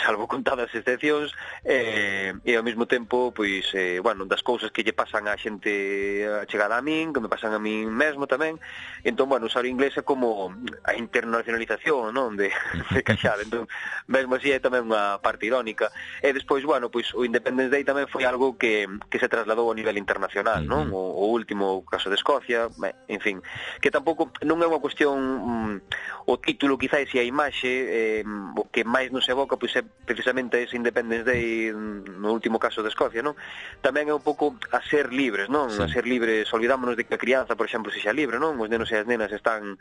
salvo contadas excepcións, e ao mesmo tempo, pois, das cousas que lle pasan a xente chegada a min, que me pasan a min mesmo tamén. Entón, usar o inglés é como a internacionalización, non? De Caxade. Entón, mesmo así é tamén unha parte irónica. E despois, o Independence Day tamén foi algo que se trasladou a nivel internacional, non? O último caso de Escocia, en fin, que tampouco non é unha cuestión o título quizás e a imaxe o que máis nos evoca pois é precisamente ese Independence Day no último caso de Escocia, non? Tamén é un pouco a ser libres, non? A ser libres, olvidámonos de que a crianza, por exemplo, sexa libre, non? Os nenos e as nenas están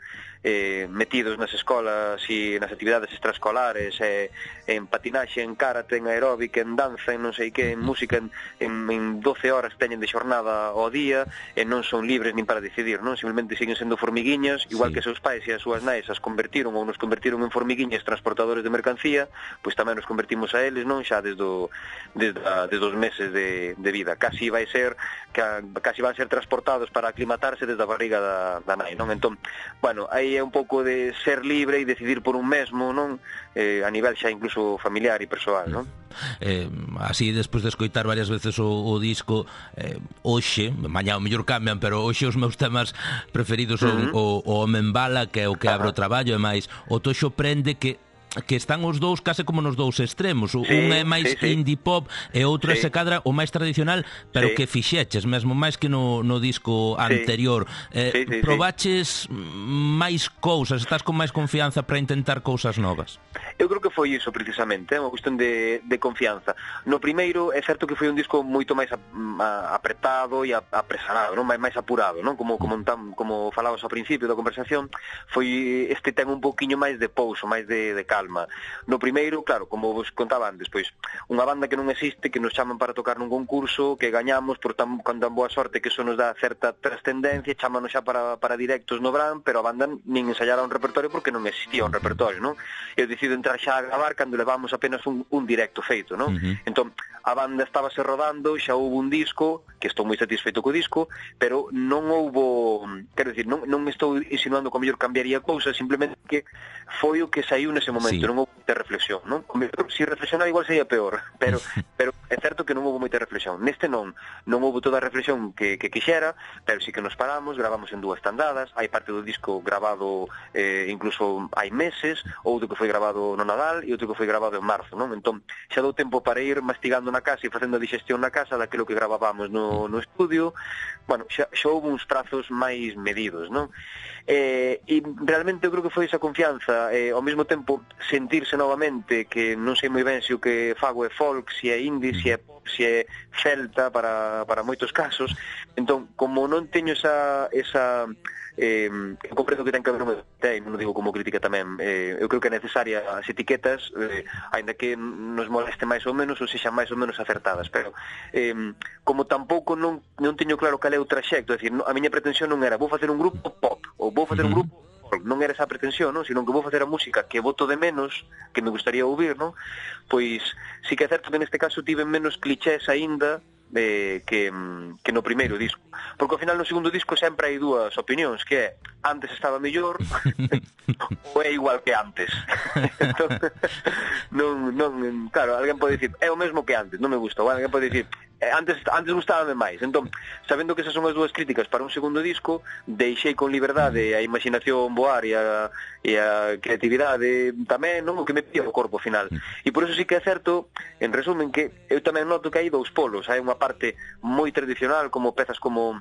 metidos nas escolas e nas actividades extraescolares, en patinaxe, en karate, en aeróbic, en danza, en non sei que, en música, en 12 horas teñen de xornada ao día e non son libres nin para decidir, non? Simplemente siguen sendo formiguiñas, igual que seus pais e as súas nais as convertiron ou nos convertiron en formiguiñas transportadores de mercancía, pois tamén nos convertimos a eles, non? Xa desde os meses de vida. Casi van ser transportados para aclimatarse desde a barriga da nai, non? Entón, bueno, aí é un pouco de ser libre e decidir por un mesmo, non? A nivel xa incluso familiar e persoal, non? Así, despois de escoitar varias veces o disco, hoxe, mañá o mellor cambian, pero hoxe os meus temas preferidos son o Home en Bala, que é o que abre o traballo, e máis o Toxo Prende, que están os dous case como nos dous extremos. Un é máis indie pop e outro se cadra o máis tradicional, pero que fixeches mesmo máis que no disco anterior. Probaches máis cousas, estás con máis confianza para intentar cousas novas? Eu creo que foi iso precisamente, é unha cuestión de confianza. No primeiro é certo que foi un disco moito máis apretado e apresanado, non? máis apurado, non? Como falabas ao principio da conversación, foi este ten un pouquiño máis de pouso, máis de calma. No primeiro, claro, como vos contaba antes, pois unha banda que non existe, que nos chaman para tocar nun concurso, que gañamos por tan boa sorte que eso nos dá certa trascendencia, chámanos xa para directos no Bran, pero a banda nin ensayara un repertorio porque non existía un repertorio, non? Eu decido entrar xa a gravar cando levamos apenas un directo feito, non? Entón, a banda estábase rodando, xa houve un disco, que estou moi satisfeito co disco, pero non houbo, quero dicir, non estou insinuando que o mellor cambiaría cousas, simplemente que foi o que saiu nese momento, non houve moita reflexión, non? Se reflexionar igual sería peor, pero é certo que non houve moita reflexión. Neste non houve toda a reflexión que quixera, pero sí que nos paramos, gravamos en 2 tandadas, hai parte do disco gravado incluso hai meses, outro que foi gravado no Nadal e outro que foi gravado en marzo, non? Entón, xa dou tempo para ir mastigando na casa e facendo a digestión na casa daquilo que gravábamos no estudio. Bueno, xa houve uns prazos máis medidos, non? E realmente eu creo que foi esa confianza, ao mesmo tempo sentirse novamente que non sei moi ben se o que fago é folk, se é indie, se é celta para moitos casos. Entón, como non teño esa comprendo que ten que haber non digo como crítica tamén, eu creo que é necesaria as etiquetas, aínda que nos moleste máis ou menos ou sexan máis ou menos acertadas, pero como tampouco non teño claro cal é o traxecto, é dicir, a miña pretensión non era vou facer un grupo pop ou vou facer un grupo folk, non era esa pretensión, non? Sino que vou facer a música que voto de menos, que me gustaría ouvir, non? Pois sí que é certo que neste caso tive menos clichés aínda que no primeiro disco, porque ao final no segundo disco sempre hai 2 opinións, que é antes estaba mellor ou é igual que antes. Entón, non, claro, alguén pode dicir é o mesmo que antes, non me gusta, ou alguén pode dicir antes gustábame máis. Entón, sabendo que esas son as 2 críticas para un segundo disco, deixei con liberdade a imaginación voar e a creatividade tamén, non? O que me pide o corpo final. E por eso sí que é certo, en resumen, que eu tamén noto que hai 2 polos. Hai unha parte moi tradicional, como pezas como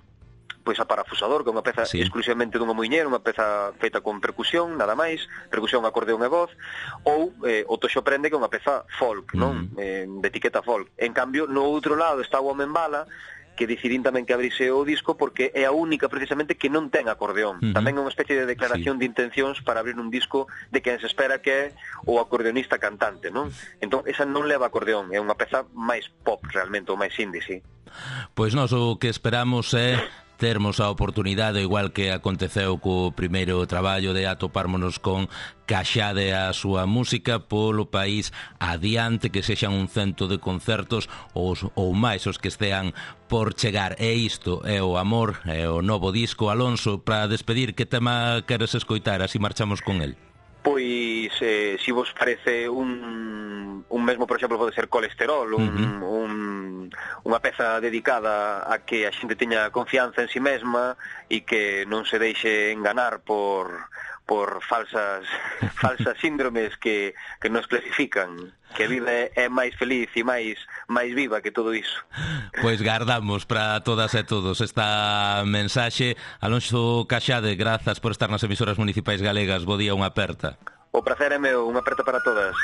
pois a Parafusador, que é unha peza exclusivamente dunha muiñeira, unha peza feita con percusión, nada máis, percusión, acordeón e voz, ou o Toxo Prende, que é unha peza folk, non? De etiqueta folk. En cambio, no outro lado está o Home en Bala, que decidín tamén que abrise o disco porque é a única precisamente que non ten acordeón. Tamén é unha especie de declaración de intencións para abrir un disco de quen se espera que é o acordeonista cantante, non? Entón, esa non leva acordeón, é unha peza máis pop realmente, ou máis indie, sí. Pois nós o que esperamos é termos a oportunidade, igual que aconteceu co primeiro traballo, de atopármonos con Caxade a súa música polo país adiante, que sexan un cento de concertos ou máis os que estean por chegar. E isto é o Amor, é o novo disco. Alonso, para despedir, que tema queres escoitar? Así marchamos con el. Pois, se vos parece un mesmo, por exemplo, pode ser Colesterol, unha peza dedicada a que a xente teña confianza en si mesma e que non se deixe enganar por falsas síndromes que nos clasifican, que a vida é máis feliz e máis máis viva que todo iso. Pois gardamos para todas e todos esta mensaxe. Alonso Caxade, grazas por estar nas emisoras municipais galegas. Bo día, unha aperta. O prazer é meu, unha aperta para todas.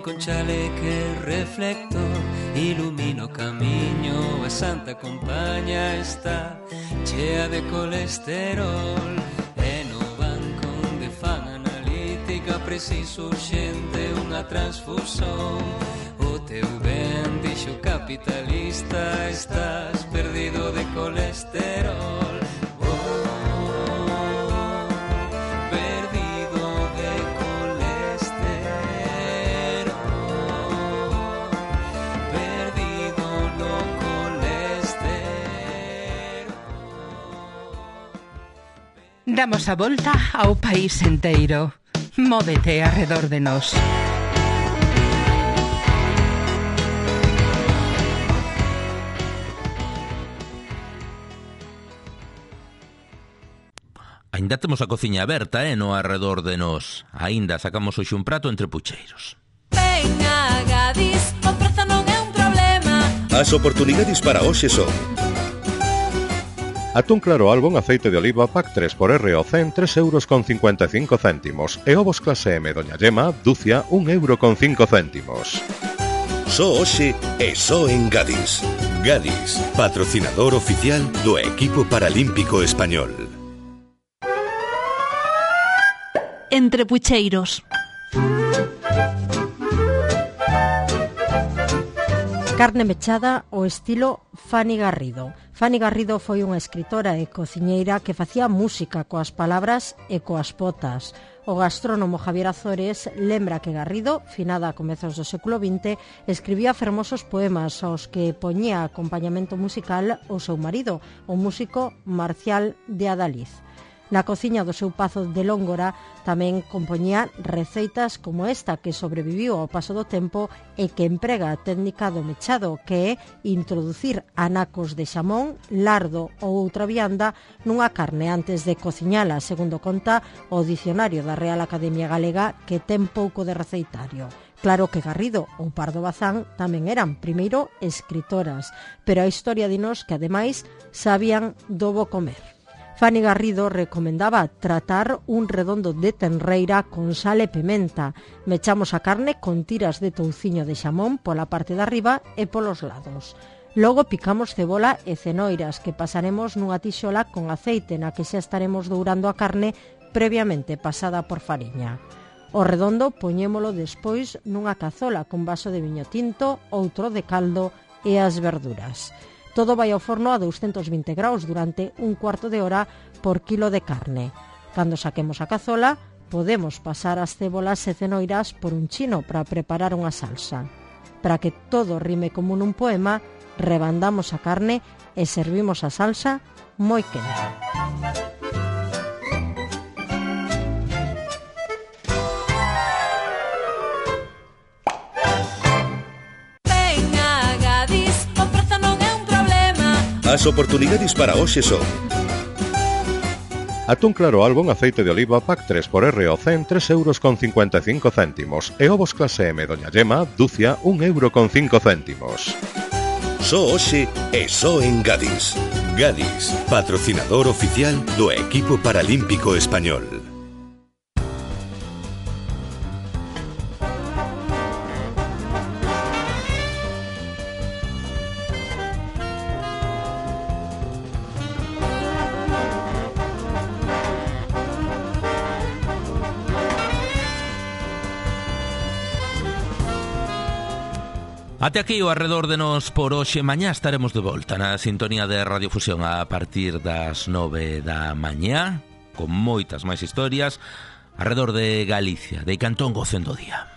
Con chaleque reflector ilumino camiño, a santa compaña está chea de colesterol. E no banco onde fan analítica preciso urxente unha transfusión. O teu ben, dixo capitalista, estás perdido de colesterol. Damos a volta ao país enteiro. Móvete arredor de nós. Ainda temos a cociña aberta, no arredor de nós. Ainda sacamos hoxe un prato entre pucheiros. Venga, Gadis, o prezo non é un problema. As oportunidades para hoxe son: atún claro Albon aceite de oliva pack 3x RO100 €3,55 e ovos clase M Doña Yema dúcia €1,05. Só hoxe e só en Gadis. Gadis, patrocinador oficial do equipo paralímpico español. Entre pucheiros. Carne mechada ao estilo Fanny Garrido. Fanny Garrido foi unha escritora e cociñeira que facía música coas palabras e coas botas. O gastrónomo Javier Azores lembra que Garrido, finada a comezos do século XX, escribía fermosos poemas aos que poñía acompañamento musical o seu marido, o músico Marcial de Adaliz. Na cociña do seu pazo de Lóngora tamén compoñía receitas como esta que sobreviviu ao paso do tempo e que emprega a técnica do mechado, que é introducir anacos de xamón, lardo ou outra vianda nunha carne antes de cociñala, segundo conta o dicionario da Real Academia Galega, que ten pouco de receitario. Claro que Garrido ou Pardo Bazán tamén eran, primeiro, escritoras, pero a historia dinos que, ademais, sabían do bo comer. Fanny Garrido recomendaba tratar un redondo de tenreira con sal e pimenta. Mechamos a carne con tiras de touciño de xamón pola parte de arriba e polos lados. Logo picamos cebola e cenoiras que pasaremos nunha tixola con aceite na que xa estaremos dourando a carne previamente pasada por fariña. O redondo poñémolo despois nunha cazola con vaso de viño tinto, outro de caldo e as verduras. Todo vai ao forno a 220 graus durante un cuarto de hora por quilo de carne. Cando saquemos a cazola, podemos pasar as cebolas e cenoiras por un chino para preparar unha salsa. Para que todo rime como nun poema, rebandamos a carne e servimos a salsa moi quente. As oportunidades para hoxe son: atún claro Albon aceite de oliva pack 3x RO100 €3,55 e ovos clase M Doña Yema dúcia €1,05. Só hoxe e só en Gadis. Gadis, patrocinador oficial do equipo paralímpico español. Até aquí o Arredor de Nos por hoxe. Mañá estaremos de volta na sintonía de Radiofusión a partir das 9 da mañá, con moitas máis historias arredor de Galicia, de Cantón Gocendo Día.